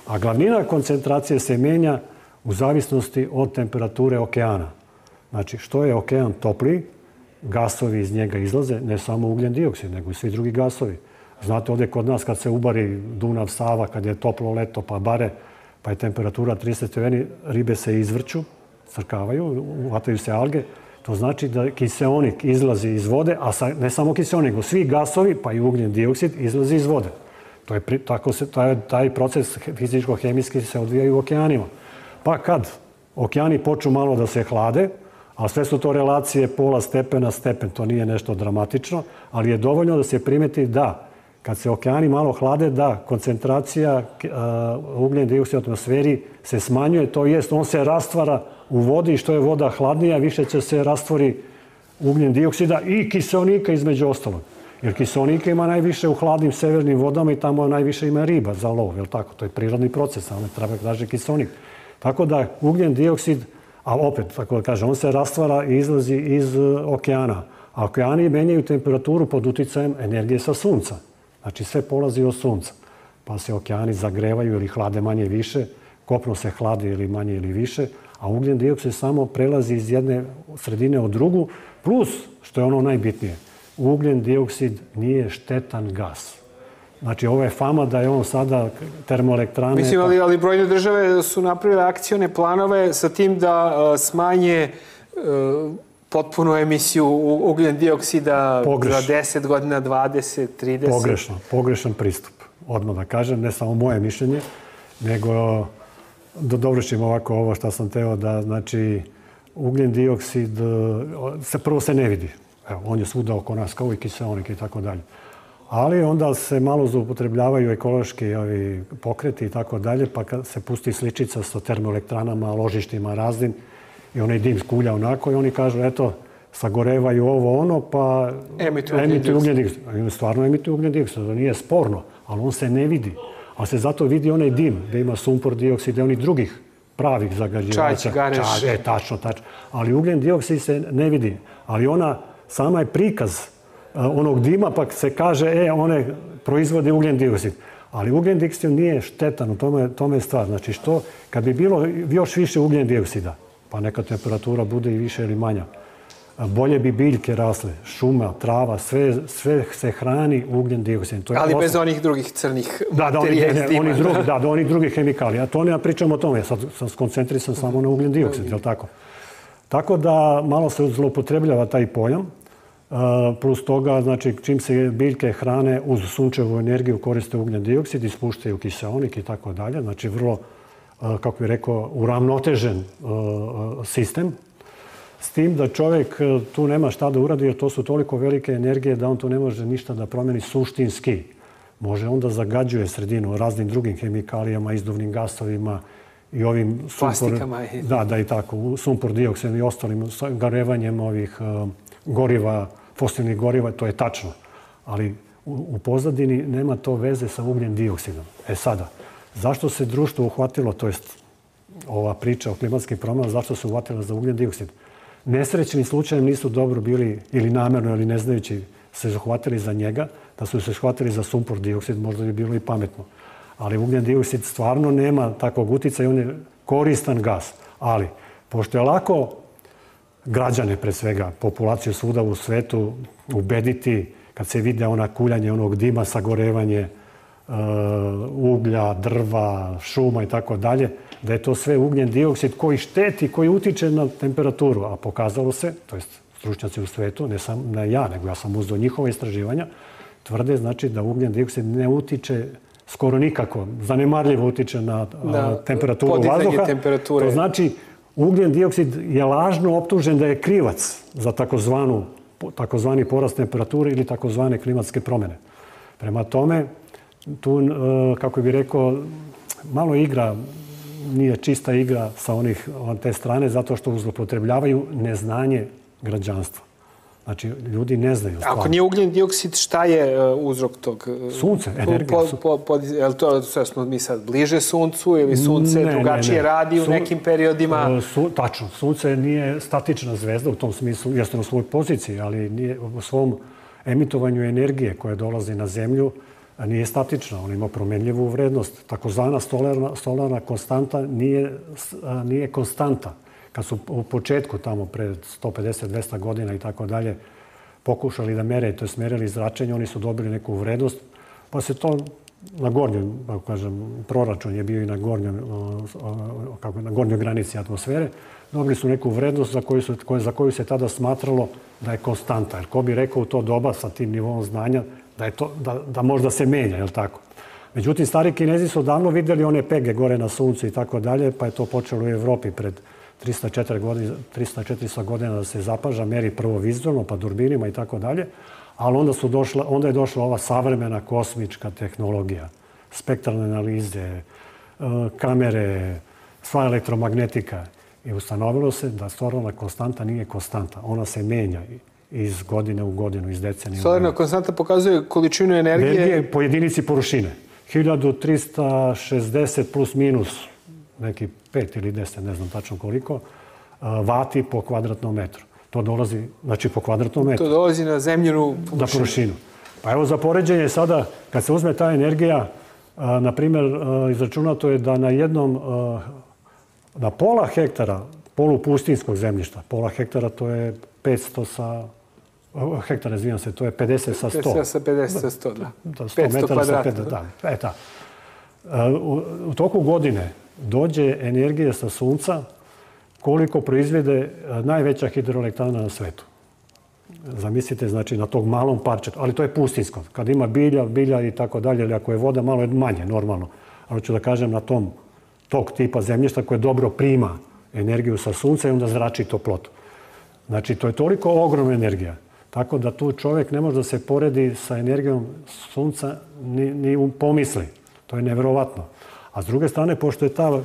A glavnina koncentracije se mijenja u zavisnosti od temperature okeana. Znači, što je okean topliji, gasovi iz njega izlaze, ne samo ugljen dioksid, nego i svi drugi gasovi. Znate, ovdje kod nas kad se ubari Dunav, Sava, kad je toplo leto, pa bare, pa je temperatura trideset stepeni, ribe se izvrću, crkavaju, uvataju se alge. To znači da kiseonik izlazi iz vode, a ne samo kiseonik, nego svi gasovi, pa i ugljen dioksid, izlazi iz vode. To je, tako se, taj, taj proces fizičko-hemijski se odvija u okeanima. Pa kad okeani počnu malo da se hlade, a sve su to relacije pola stepena, stepen, to nije nešto dramatično, ali je dovoljno da se primeti da kad se okeani malo hlade, da koncentracija uh, ugljen dioksida u atmosferi se smanjuje, to jest on se rastvara u vodi i što je voda hladnija, više će se rastvori ugljen dioksida i kiseonika između ostalog. Jer kiseonika ima najviše u hladnim severnim vodama i tamo najviše ima riba za lov, jel tako? To je prirodni proces, ali ne treba kaže kiseonik. Tako da ugljen dioksid, a opet, tako da kažem, on se rastvara i izlazi iz okeana. A okeani menjaju temperaturu pod uticajem energije sa sunca. Znači sve polazi od sunca. Pa se okeani zagrevaju ili hlade manje više, kopno se hladi ili manje ili više, a ugljen dioksid samo prelazi iz jedne sredine u drugu, plus, što je ono najbitnije, ugljen dioksid nije štetan gas. Znači, ovo je fama da je on sada termoelektrane... Mislim, ali, ali brojne države su napravile akcione planove sa tim da uh, smanje uh, potpunu emisiju ugljen dioksida Pogreš. za deset godina, dvadeset, trideset. Pogrešno, pogrešan pristup. Odmah da kažem, ne samo moje mišljenje, nego da dovršim ovako ovo što sam teo da, znači, ugljen dioksid se prvo se ne vidi. Evo, on je svuda oko nas, kao i kiseonik i tako dalje. Ali onda se malo zloupotrebljavaju ekološki ovi pokreti i tako dalje, pa kad se pusti sličica sa termoelektranama, ložištima raznim, i onaj dim skulja onako i oni kažu, eto, sagorevaju ovo ono, pa emituju ugljen dioksid. Oni stvarno emituju ugljen dioksid, to nije sporno, ali on se ne vidi. Ali se zato vidi onaj dim, gdje ima sumpor dioksid i onih drugih pravih zagađivača. Čaj, gareš. E, tačno, tačno. Ali ugljen dioksid se ne vidi. Ali ona sama je prikaz onog dima, pa se kaže, e, one proizvode ugljen dioksid. Ali ugljen dioksid nije štetan, u tome, tome je stvar. Znači, što, kad bi bilo još više ugljen dioksida, pa neka temperatura bude i više ili manja, bolje bi biljke rasle, šuma, trava, sve, sve se hrani ugljen dioksid. To je ali osnov... bez onih drugih crnih da, da, materija oni, iz dima. Oni drugi, da, da, oni drugih hemikalija. A to ne pričamo o tome, ja sad sam skoncentrisan samo na ugljen dioksid, je li tako? Tako da malo se zloupotrebljava taj pojam. Plus toga, znači, čim se biljke hrane uz sunčevu energiju koriste ugljen dioksid, ispuštaju kiseonik i tako dalje. Znači, vrlo, kako bih rekao, uravnotežen sistem. S tim da čovjek tu nema šta da uradi, jer to su toliko velike energije da on tu ne može ništa da promeni suštinski. Može onda zagađuje sredinu raznim drugim hemikalijama, izduvnim gasovima i ovim plastikama. Da, da i tako, sumpor dioksid i ostalim garevanjem ovih goriva, fosilnih goriva, to je tačno. Ali u, u pozadini nema to veze sa ugljen dioksidom. E sada, zašto se društvo uhvatilo, to jest ova priča o klimatskim promjenama, zašto se uhvatilo za ugljen dioksid? Nesrećni slučajem nisu dobro bili, ili namjerno, ili ne znajući, se uhvatili za njega, da su se uhvatili za sumpor dioksid, možda bi bilo i pametno. Ali ugljen dioksid stvarno nema takvog utjecaja i on je koristan gas. Ali, pošto je lako građane, pre svega, populaciju svuda u svetu, ubediti, kad se vide ona kuljanje onog dima, sagorevanje, uglja, drva, šuma i tako dalje, da je to sve ugljen dioksid koji šteti, koji utiče na temperaturu. A pokazalo se, to jest stručnjaci u svetu, ne sam ne ja, nego ja sam uzeo njihova istraživanja, tvrde znači da ugljen dioksid ne utiče skoro nikako, zanemarljivo utiče na, na temperaturu vazduha. To znači ugljen dioksid je lažno optužen da je krivac za takozvanu, takozvani porast temperature ili takozvane klimatske promjene. Prema tome, tu, kako bih rekao, malo igra, nije čista igra sa onih te strane, zato što zloupotrebljavaju neznanje građanstva. Znači, ljudi ne znaju stvarno. Ako nije ugljen dioksid, šta je uzrok tog? Sunce, energija. Je li to sve smo mi sad bliže suncu ili sunce drugačije radi u nekim periodima? Tačno. Sunce nije statična zvezda u tom smislu, jeste na svojoj poziciji, ali nije u svom emitovanju energije koja dolazi na zemlju nije statična. On ima promenljivu vrednost. Takozvana solarna konstanta nije konstanta. Kad su u početku, tamo pred sto pedeset do dvesta godina i tako dalje, pokušali da mere, to je smerili zračenje, oni su dobili neku vrednost, pa se to na gornjem, kako kažem, proračun je bio i na gornjoj, kako, na gornjoj granici atmosfere, dobili su neku vrednost za koju, su, za koju se tada smatralo da je konstanta. Jer ko bi rekao u to doba sa tim nivom znanja da, je to, da, da možda se menja, je li tako? Međutim, stari Kinezi su davno vidjeli one pege gore na suncu i tako dalje, pa je to počelo u Evropi pred trista četiristo godina da se zapaža, meri prvo vizualno, pa durbinima i tako dalje, ali onda, su došla, onda je došla ova savremena kosmička tehnologija, spektralne analize, kamere, sva elektromagnetika. I ustanovilo se da solarna konstanta nije konstanta. Ona se menja iz godine u godinu, iz decenije u godinu. Solarna konstanta pokazuje količinu energije... Energije po jedinici površine. hiljadu trista šezdeset plus minus, neki pet ili deset, ne znam tačno koliko, vati po kvadratnom metru. To dolazi, znači po kvadratnom metru. To dolazi na zemljinu površinu. Na površinu. Pa evo za poređenje sada, kad se uzme ta energija, na primjer, izračunato je da na jednom, na pola hektara polupustinskog zemljišta, pola hektara to je petsto sa, hektara, izvinjam se, to je pedeset sa sto. pedeset sa pedeset sa sto, da. petsto kvadrata. Da, e, ta. U, u toku godine dođe energija sa sunca koliko proizvede najveća hidroelektrana na svetu. Zamislite, znači, na tog malom parčetu, ali to je pustinsko. Kad ima bilja, bilja i tako dalje, ili ako je voda, malo je manje, normalno. Ali ću da kažem na tom tog tipa zemljišta koje dobro prima energiju sa sunca i onda zrači toplotu. Znači, to je toliko ogromna energija. Tako da tu čovjek ne može da se poredi sa energijom sunca ni, ni u pomisli. To je nevjerovatno. A s druge strane, pošto je ta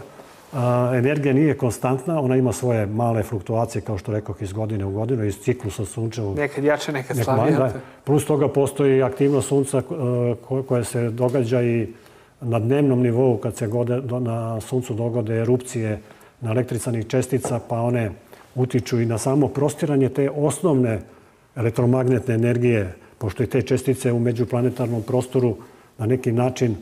a, energija nije konstantna, ona ima svoje male fluktuacije, kao što rekao, iz godine u godinu, iz ciklusa sunčevog. Nekad jače, nekad slabije. Plus toga postoji aktivnost sunca a, koja se događa i na dnevnom nivou, kad se gode, do, na suncu dogode erupcije na električnih čestica, pa one utiču i na samo prostiranje te osnovne elektromagnetne energije, pošto i te čestice u međuplanetarnom prostoru na neki način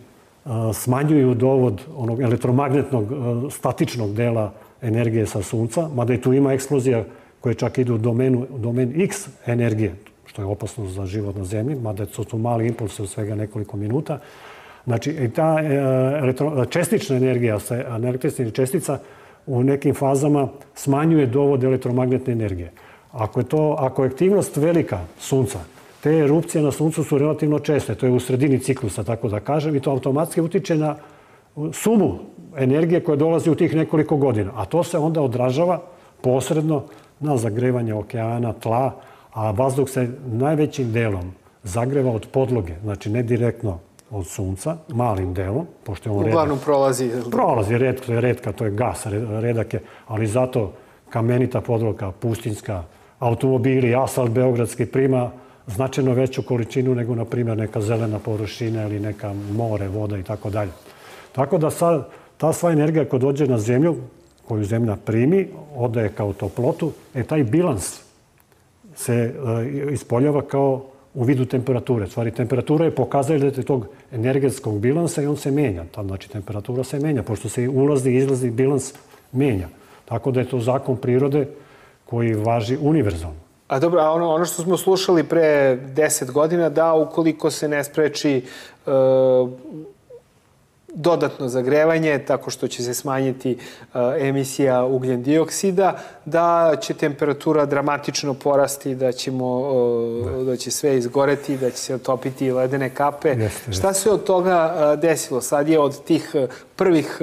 smanjuju dovod onog elektromagnetnog statičnog dela energije sa sunca, mada i tu ima eksplozija koje čak idu u domenu, domen X energije, što je opasno za život na zemlji, mada su tu mali impulse u svega nekoliko minuta. Znači, i ta elektro, čestična energija, električnih čestica u nekim fazama smanjuje dovod elektromagnetne energije. Ako je, to, ako je aktivnost velika sunca, te erupcije na suncu su relativno česte, to je u sredini ciklusa, tako da kažem, i to automatski utiče na sumu energije koja dolazi u tih nekoliko godina. A to se onda odražava posredno na zagrevanje okeana, tla, a vazduh se najvećim delom zagreva od podloge, znači ne direktno od sunca, malim delom, pošto je on uglavnom prolazi. Prolazi, redko je redka, to je gas, redak je, ali zato kamenita podloga, pustinska, automobili, asfalt beogradski prima značajno veću količinu nego, na primjer, neka zelena površina ili neka more, voda i tako dalje. Tako da sad, ta sva energija koja dođe na zemlju, koju zemlja primi, odaje kao toplotu, e taj bilans se e, ispoljava kao u vidu temperature. Stvari, temperatura je pokazatelj tog energetskog bilansa i on se menja. Znači, temperatura se menja, pošto se ulazni i izlazni bilans menja. Tako da je to zakon prirode koji važi univerzalno. A dobro, a ono, ono što smo slušali pre deset godina, da ukoliko se ne spreči uh, dodatno zagrevanje, tako što će se smanjiti emisija ugljen dioksida, da će temperatura dramatično porasti, da, ćemo, da će sve izgoreti, da će se otopiti ledene kape. Jeste, Šta se od toga desilo? Sad je od tih prvih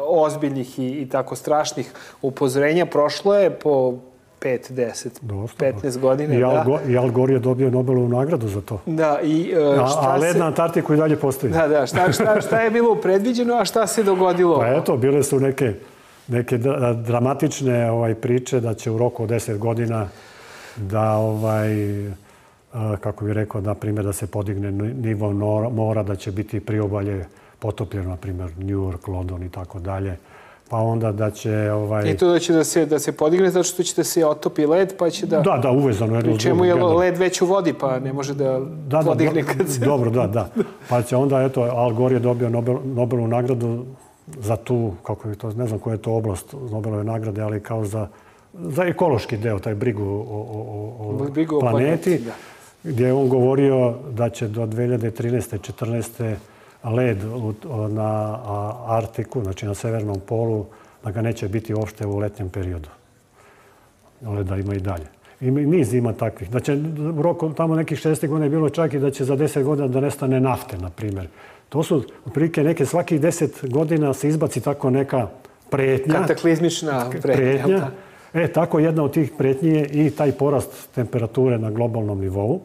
ozbiljnih i, i tako strašnih upozorenja prošlo je po pet, deset, petnaest godina. I Al, Go, i Al Gore je dobio Nobelovu nagradu za to. Da, i šta a, a led se... na Antarktiku i dalje postoji. Da, da, šta, šta, šta je bilo predviđeno, a šta se dogodilo? Pa eto, bile su neke, neke dramatične ovaj, priče da će u roku od deset godina da, ovaj, kako bih rekao, na primjer, da se podigne nivo mora, da će biti priobalje potopljeno, na primjer, New York, London i tako dalje. Pa onda da će... Ovaj... I to da će da se, da se podigne zato što će da se otopi led, pa će da... Da, da, uvezano. Jedno pri čemu je led već u vodi, pa ne može da, da podigne da, kad se... Dobro, da, da. Pa će onda, eto, Al Gore je dobio Nobel, Nobelovu nagradu za tu, kako je to, ne znam koja je to oblast Nobelove nagrade, ali kao za, za ekološki deo, taj brigu o, o, o brigu planeti, o planeti, gdje je on govorio da će do dve hiljade trinaeste četrnaeste led na Arktiku, znači na severnom polu, da ga neće biti uopšte u letnjem periodu. Leda ima i dalje. I niz ima takvih. Da će u roku tamo nekih šezdesetih godina je bilo čak i da će za deset godina da nestane nafte, na primjer. To su otprilike neke, svakih deset godina se izbaci tako neka pretnja. Kataklizmična pretnja. pretnja. E, tako jedna od tih pretnji je i taj porast temperature na globalnom nivou.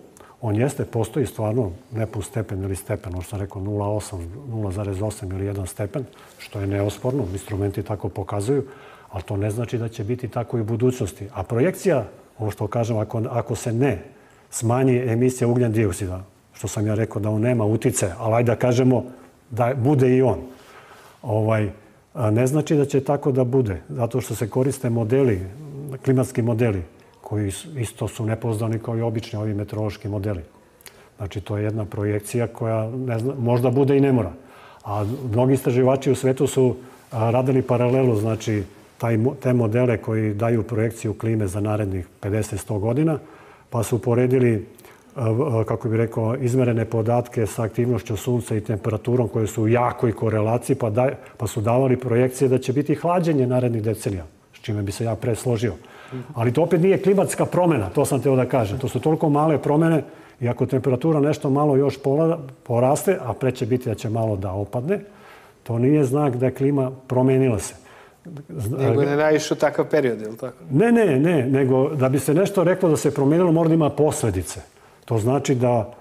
On jeste, postoji stvarno nepun stepen ili stepen, ono što sam rekao nula zarez osam, nula zarez osam ili jedan stepen, što je neosporno, instrumenti tako pokazuju, ali to ne znači da će biti tako i u budućnosti. A projekcija, ovo što kažem, ako, ako se ne smanji emisija ugljen dioksida, što sam ja rekao da on nema uticaja, ali ajde da kažemo da bude i on, ovaj, ne znači da će tako da bude, zato što se koriste modeli, klimatski modeli, koji isto su nepouzdani kao i obični ovi meteorološki modeli. Znači, to je jedna projekcija koja ne zna, možda bude i ne mora. A mnogi istraživači u svetu su radili paralelu, znači, taj, te modele koji daju projekciju klime za narednih pedeset do sto godina, pa su uporedili, kako bih rekao, izmerene podatke sa aktivnošću sunca i temperaturom koje su u jakoj korelaciji, pa, daj, pa su davali projekcije da će biti hlađenje narednih decenija, s čime bi se ja pre složio. Ali to opet nije klimatska promjena, to sam teo da kažem. To su toliko male promjene i ako temperatura nešto malo još poraste, a pre će biti da će malo da opadne, to nije znak da je klima promijenila se. Nego ne naišao takav period, je li tako? Ne, ne, ne, nego da bi se nešto reklo da se promijenilo, mora da ima posljedice. To znači da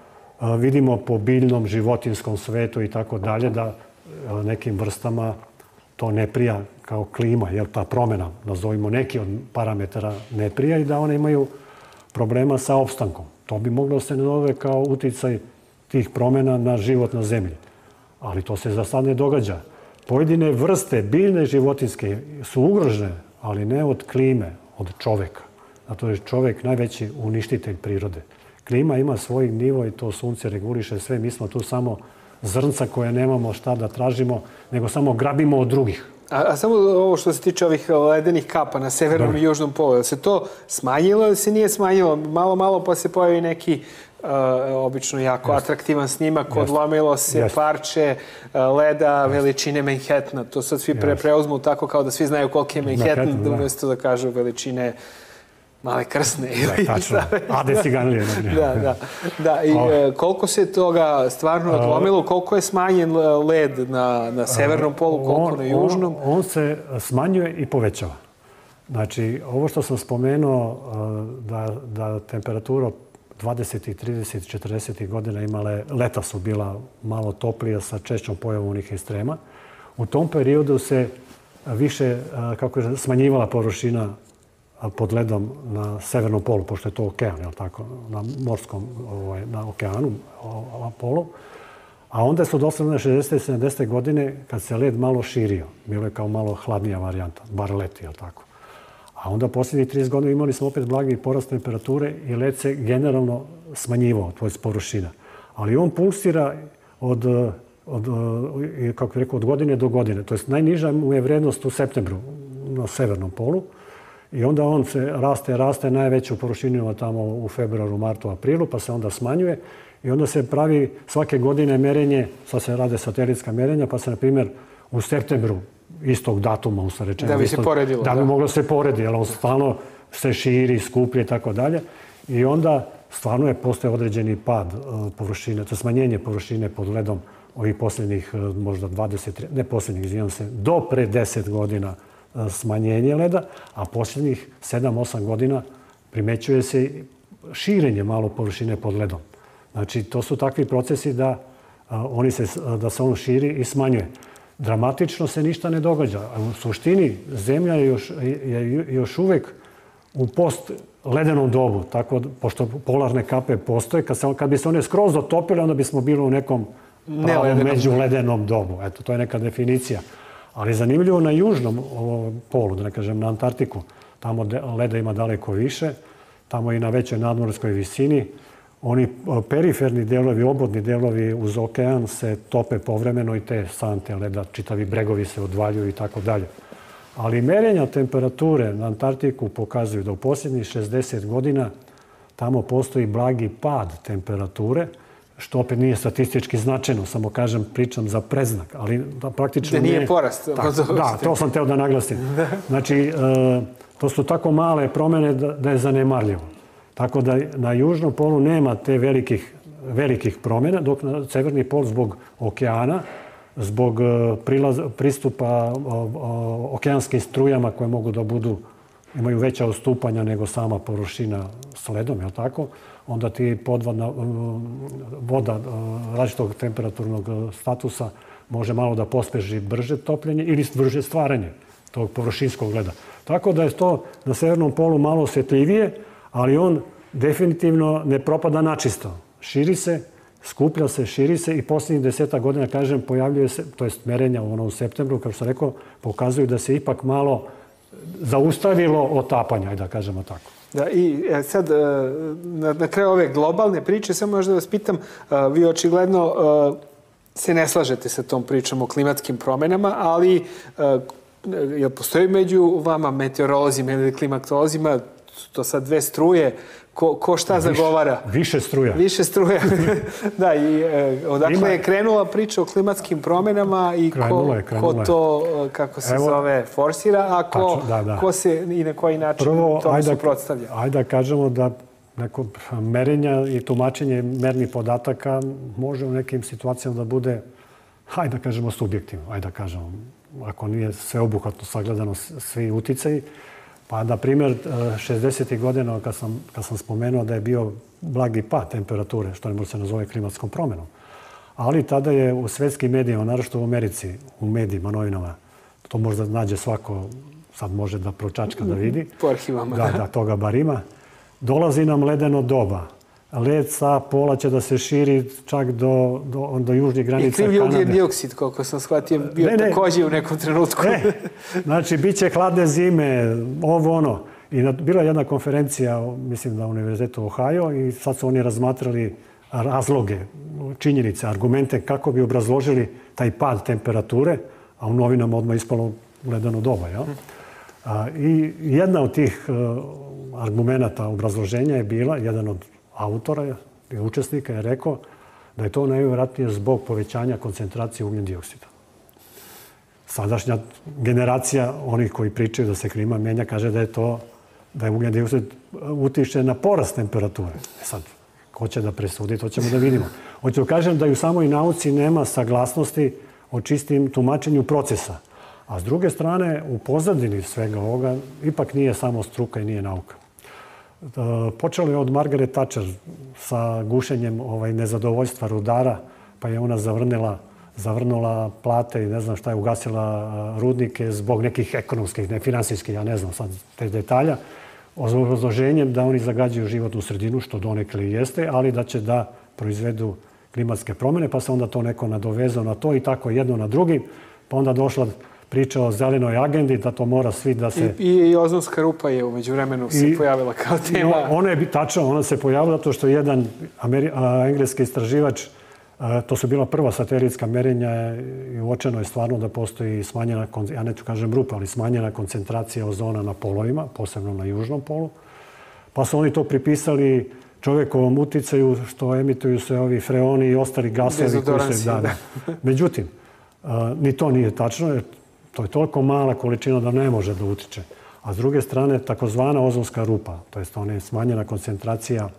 vidimo po biljnom, životinskom svetu i tako dalje, da nekim vrstama to ne prija kao klima, jer ta promjena, nazovimo neki od parametara, ne prija i da one imaju problema sa opstankom. To bi moglo se nazove kao uticaj tih promjena na život na zemlji. Ali to se za sad ne događa. Pojedine vrste biljne životinske su ugrožene, ali ne od klime, od čoveka. Zato je čovek najveći uništitelj prirode. Klima ima svoj nivo i to sunce reguliše sve. Mi smo tu samo zrnca koje nemamo šta da tražimo, nego samo grabimo od drugih. A, a samo ovo što se tiče ovih ledenih kapa na severnom da. i južnom polu, je se to smanjilo ili se nije smanjilo? Malo, malo pa se pojavi neki uh, obično jako Just. atraktivan snimak, Just. odlomilo se Just. parče uh, leda Just. veličine Manhattana. To sad svi pre, preuzmu tako kao da svi znaju koliko je Manhattan, Manhattan da umjesto da kažu veličine Male Krsne. Da, tačno. Ade Ciganlije. Da, da. da. I uh, koliko se toga stvarno odlomilo, koliko je smanjen led na, na severnom polu, koliko on, na južnom? On, on se smanjuje i povećava. Znači, ovo što sam spomenuo, da, da temperatura dvadesetih, tridesetih, četrdesetih godina imale, leta su bila malo toplija sa češćom pojavom onih ekstrema. U tom periodu se više, kako je smanjivala površina pod ledom na severnom polu, pošto je to okean, je li tako, na morskom, ovaj, na okeanu, na polu. A onda su doslovno šezdesete i sedamdesete godine, kad se led malo širio, bilo je kao malo hladnija varijanta, bar leti, je li tako. A onda posljednjih trideset godina imali smo opet blagi porast temperature i led se generalno smanjivao, to je površina. Ali on pulsira od, od, kako bih rekao, od godine do godine. To je najniža mu je vrednost u septembru na severnom polu. I onda on se raste, raste najveću površinu tamo u februaru, martu, aprilu, pa se onda smanjuje. i onda se pravi svake godine merenje, sad se rade satelitska merenja, pa se, na primjer, u septembru istog datuma, usno rečeno. Da bi se poredilo. Da bi moglo se poredi, jer on stalno se širi, skuplje i tako dalje. I onda stvarno je postoje određeni pad površine, to smanjenje površine pod ledom ovih posljednjih možda dvadeset, ne posljednjih, izvijem se, do pre deset godina smanjenje leda, a posljednjih sedam osam godina primećuje se širenje malo površine pod ledom. Znači, to su takvi procesi da, oni se, da se on širi i smanjuje. Dramatično se ništa ne događa. U suštini, zemlja je još, je još uvek u post ledenom dobu, tako, pošto polarne kape postoje. Kad, se, kad bi se one skroz dotopile, onda bismo bili u nekom pravom međuledenom dobu. Eto, to je neka definicija. Ali zanimljivo na južnom polu, da ne kažem na Antarktiku, tamo leda ima daleko više, tamo i na većoj nadmorskoj visini. Oni periferni delovi, obodni delovi uz okean se tope povremeno i te sante leda, čitavi bregovi se odvaljuju i tako dalje. Ali merenja temperature na Antarktiku pokazuju da u posljednjih šezdeset godina tamo postoji blagi pad temperature, što opet nije statistički značajno, samo kažem, pričam za predznak, ali da praktično nije... Da nije porast. Da, to sam teo da naglasim. Znači, to su tako male promjene da je zanemarljivo. Tako da na južnom polu nema te velikih, velikih promjena, dok na severni pol zbog okeana, zbog prilaz, pristupa okeanskim strujama koje mogu da budu, imaju veća odstupanja nego sama površina s ledom, je li tako? Onda ti podvodna voda različitog temperaturnog statusa može malo da pospeži brže topljenje ili brže stvaranje tog površinskog leda. Tako da je to na severnom polu malo osjetljivije, ali on definitivno ne propada načisto. Širi se, skuplja se, širi se i posljednjih deseta godina, kažem, pojavljuje se, to jest merenja u septembru, kao što sam rekao, pokazuju da se ipak malo zaustavilo otapanja, ajde da kažemo tako. Da, i sad, na, na kraju ove globalne priče, samo možda vas pitam, vi očigledno se ne slažete sa tom pričom o klimatskim promjenama, ali jel postoji među vama meteorolozima ili klimatolozima, to sad dve struje, ko, ko šta više, zagovara? Više struja. Više struja. Da, i e, odakle Ima... je krenula priča o klimatskim promjenama i krenula ko, je, krenula ko to, kako se Evo, zove, forsira, a ko, tačno, da, da. ko se i na koji način Prvo, tome ajde, suprotstavlja? Ajde da kažemo da neko merenja i tumačenje mernih podataka može u nekim situacijama da bude, hajde da kažemo, subjektivno. Ajde da kažemo, ako nije sveobuhvatno sagledano svi uticaji. Pa, na primjer, šezdesetih godina, kad sam, kad sam spomenuo da je bio blagi pad temperature, što ne može se nazove klimatskom promjenom. Ali tada je u svjetskim medijima, naročito u Americi, u medijima, novinama, to možda nađe svako, sad može da pročačka da vidi. Po arhivama. Da, da, toga bar ima. Dolazi nam ledeno doba. Led sa pola će da se širi čak do, do, do južnih granica Kanade. I kriv ugljen dioksid, koliko sam shvatio, bio ne, ne. također u nekom trenutku. Ne. Znači, bit će hladne zime, ovo ono. I bila je jedna konferencija, mislim, na Univerzitetu Ohio i sad su oni razmatrali razloge, činjenice, argumente kako bi obrazložili taj pad temperature, a u novinama odmah ispalo ledeno doba. Ja? A, I jedna od tih uh, argumenta obrazloženja je bila, jedan od autora i učesnika je rekao da je to najvjerojatnije zbog povećanja koncentracije ugljen dioksida. Sadašnja generacija onih koji pričaju da se klima menja kaže da je to da je ugljen dioksid utiče na porast temperature. E sad, ko će da presudi, to ćemo da vidimo. Hoću da kažem da i u samoj nauci nema saglasnosti o čistim tumačenju procesa. A s druge strane, u pozadini svega ovoga ipak nije samo struka i nije nauka. Počelo je od Margaret Thatcher sa gušenjem ovaj, nezadovoljstva rudara, pa je ona zavrnila, zavrnula plate i ne znam šta je, ugasila rudnike zbog nekih ekonomskih, ne finansijskih, ja ne znam sad te detalja, obrazloženjem da oni zagađuju životnu sredinu, što donekle jeste, ali da će da proizvedu klimatske promjene, pa se onda to neko nadovezao na to i tako jedno na drugi, pa onda došla priča o zelenoj agendi, da to mora svi da se... I, i, i ozonska rupa je umeđu vremenu se I, pojavila kao tema. Ona je tačno, ona se pojavila zato što jedan Ameri, a, engleski istraživač, a, to su bila prva satelitska merenja i uočeno je stvarno da postoji smanjena, ja neću kažem rupa, ali smanjena koncentracija ozona na polovima, posebno na južnom polu. Pa su oni to pripisali čovjekovom uticaju što emituju se ovi freoni i ostali gasovi koji se dada. Međutim, ni to nije tačno, jer to je toliko mala količina da ne može da utiče. A s druge strane, takozvana ozonska rupa, to je ona smanjena koncentracija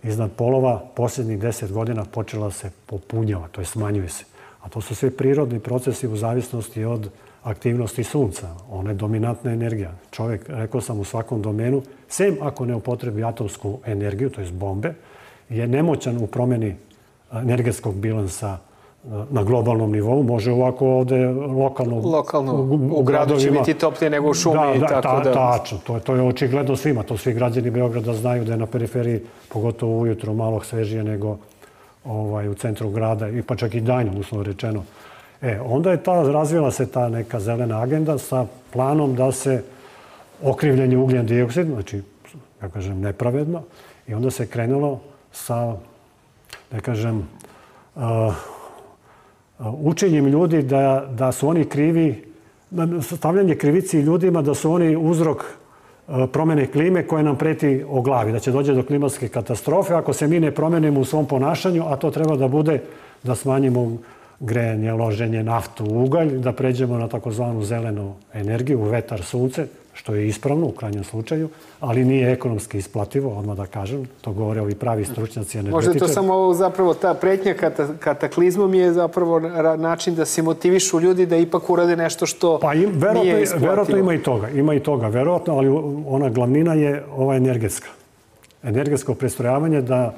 iznad polova, posljednjih deset godina počela se popunjava, to je smanjuje se. A to su sve prirodni procesi u zavisnosti od aktivnosti sunca. Ona je dominantna energija. Čovjek, rekao sam, u svakom domenu, sem ako ne upotrebi atomsku energiju, to je bombe, je nemoćan u promjeni energetskog bilansa na globalnom nivou. Može ovako ovdje lokalno, lokalno u, u gradu će biti toplije nego u šumi. Da, da, tako ta, da... tačno. To, to je očigledno svima. To svi građani Beograda znaju da je na periferiji, pogotovo ujutro, malo svežije nego ovaj, u centru grada, i pa čak i danjem, uslovno rečeno. E, onda je ta, razvila se ta neka zelena agenda sa planom da se okrivljenje ugljen dioksid, znači, ja kažem, nepravedno, i onda se krenulo sa, da kažem, uh, učenjem ljudi da, da su oni krivi, stavljanje krivici ljudima da su oni uzrok promjene klime koje nam preti o glavi, da će dođe do klimatske katastrofe ako se mi ne promenimo u svom ponašanju, a to treba da bude da smanjimo grejanje, loženje, naftu, ugalj, da pređemo na takozvanu zelenu energiju, vetar, sunce, što je ispravno u krajnjem slučaju, ali nije ekonomski isplativo, odmah da kažem. To govore ovi pravi stručnjaci energetičari. Možda to samo zapravo ta pretnja kataklizmom je zapravo način da se motivišu ljudi da ipak urade nešto što pa im, verovatno, nije isplativo. Verovatno ima i toga, ima i toga, verovatno, ali ona glavnina je ova energetska. Energetsko prestrojavanje da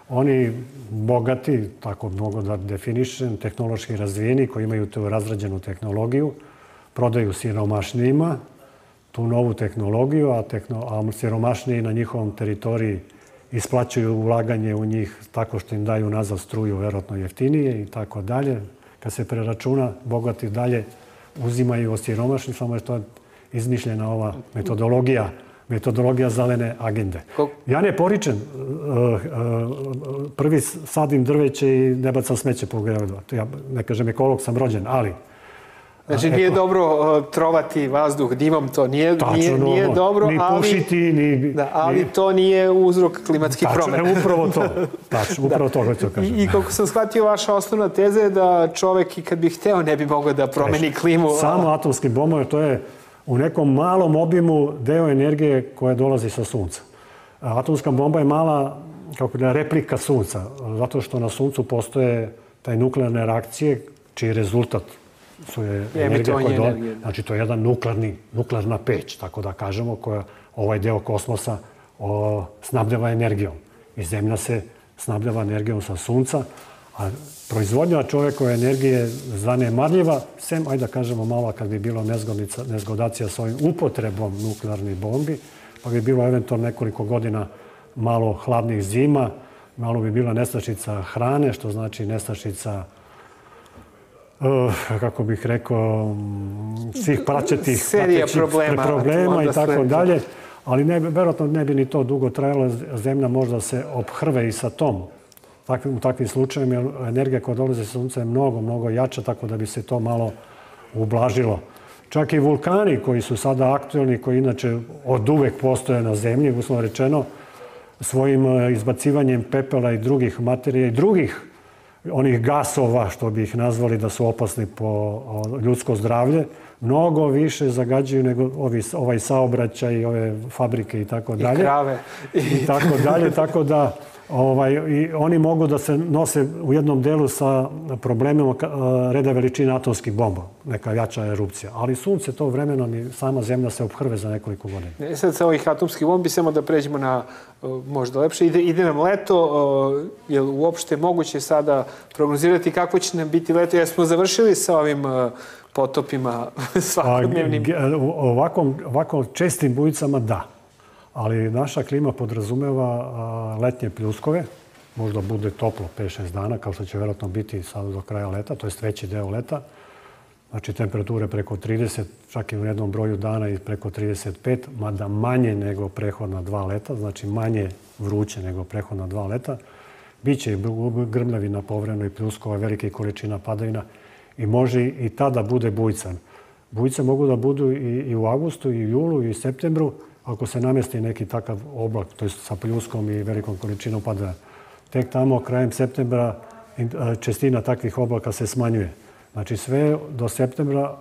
oni bogati, tako mogu da definišem, tehnološki razvijeni, koji imaju tu razrađenu tehnologiju, prodaju siromašnijima tu novu tehnologiju, a, tehno, a siromašniji na njihovom teritoriji isplaćuju ulaganje u njih tako što im daju nazad struju, verovatno jeftinije i tako dalje. Kad se preračuna, bogati dalje uzimaju od siromašnih, samo je to izmišljena ova metodologija metodologija zelene agende. Ja ne poričem, prvi sadim drveće i ne bacam smeće po gradu. Ja ne kažem ekolog, sam rođen, ali... Znači nije dobro trovati vazduh dimom, to nije, nije, nije dobro, ni ali, pušiti, ni, da, ali to nije uzrok klimatskih promjena. Tačno, upravo to. Tačno, upravo to hoću kažem. I, I koliko sam shvatio, vaša osnovna teza je da čovjek i kad bi hteo ne bi mogao da promeni klimu. Samo atomski bombovi, to je u nekom malom obimu deo energije koja dolazi sa sunca. Atomska bomba je mala, kako da, replika sunca, zato što na suncu postoje taj nuklearne reakcije, čiji rezultat su je energija koja dolazi. Znači, to je jedan nuklearni, nuklearna peć, tako da kažemo, koja ovaj deo kosmosa o, snabdeva energijom. I zemlja se snabdeva energijom sa sunca, a proizvodnja čovjekove energije zanemarljiva, sem, ajde da kažemo malo, kad bi bilo nezgodacija s ovim upotrebom nuklearnih bombi, pa bi bilo eventualno nekoliko godina malo hladnih zima, malo bi bila nestašica hrane, što znači nestašica, uh, kako bih rekao, svih praćetih problema, problema i tako dalje. Ali ne, verovatno ne bi ni to dugo trajalo, zemlja možda se ophrve i sa tom. U takvim slučajevima energija koja dolazi sa sunca je mnogo, mnogo jača, tako da bi se to malo ublažilo. Čak i vulkani koji su sada aktualni, koji inače od uvek postoje na zemlji, uslovno rečeno, svojim izbacivanjem pepela i drugih materija i drugih onih gasova, što bi ih nazvali da su opasni po ljudsko zdravlje, mnogo više zagađuju nego ovi, ovaj saobraćaj i ove fabrike i tako dalje. I krave. I tako dalje, tako da ovaj, i oni mogu da se nose u jednom delu sa problemima reda veličine atomskih bomba, neka jača erupcija. Ali sunce to vremenom i sama zemlja se ophrve za nekoliko godina. E sad sa ovih atomskih bombi, samo da pređemo na možda lepše. Ide, ide nam leto, je li uopšte moguće sada prognozirati kako će nam biti leto? Jer smo završili sa ovim potopima svakodnevnim. Ovako, ovako čestim bujicama da. Ali naša klima podrazumeva letnje pljuskove. Možda bude toplo pet šest dana, kao što će vjerojatno biti sada do kraja leta, to je veći deo leta. Znači temperature preko trideset, čak i u jednom broju dana i preko trideset pet, mada manje nego prehodna dva leta, znači manje vruće nego prehodna dva leta. Biće i grmljavina povremeno i pljuskova, velike količina padavina i može i tada bude bujcan. Bujice mogu da budu i u avgustu, i u julu, i u septembru, ako se namesti neki takav oblak, to je sa pljuskom i velikom količinom padavina. Tek tamo krajem septembra čestina takvih oblaka se smanjuje. Znači sve do septembra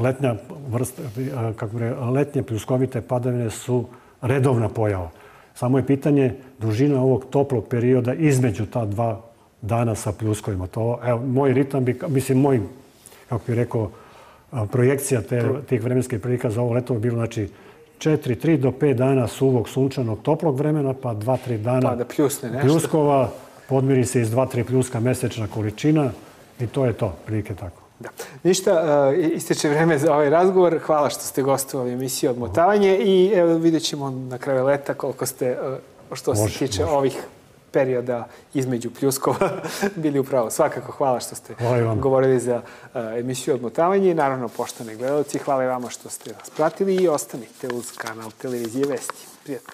letnja vrsta, kako re, letnje pljuskovite padavine su redovna pojava. Samo je pitanje dužina ovog toplog perioda između ta dva dana sa pljuskovima. To, evo, moj ritam bi, mislim, moj, kako bih rekao, projekcija te, tih vremenskih prilika za ovo leto bi bilo, znači, četiri, tri do pet dana suvog, sunčanog, toplog vremena, pa dva, tri dana pa da pljusne nešto. Pljuskova, podmiri se iz dva, tri pljuska mesečna količina i to je to, prilike tako. Da. Ništa, ističe vreme za ovaj razgovor. Hvala što ste gostovali emisiju Odmotavanje i evo, vidjet ćemo na kraju leta koliko ste, što se može, tiče može. ovih perioda između pljuskova bili upravo. Svakako hvala što ste govorili za emisiju Odmotavanje i naravno, poštovani gledalci, hvala i vama što ste nas pratili i ostanite uz kanal Televizije Vesti. Prijetno.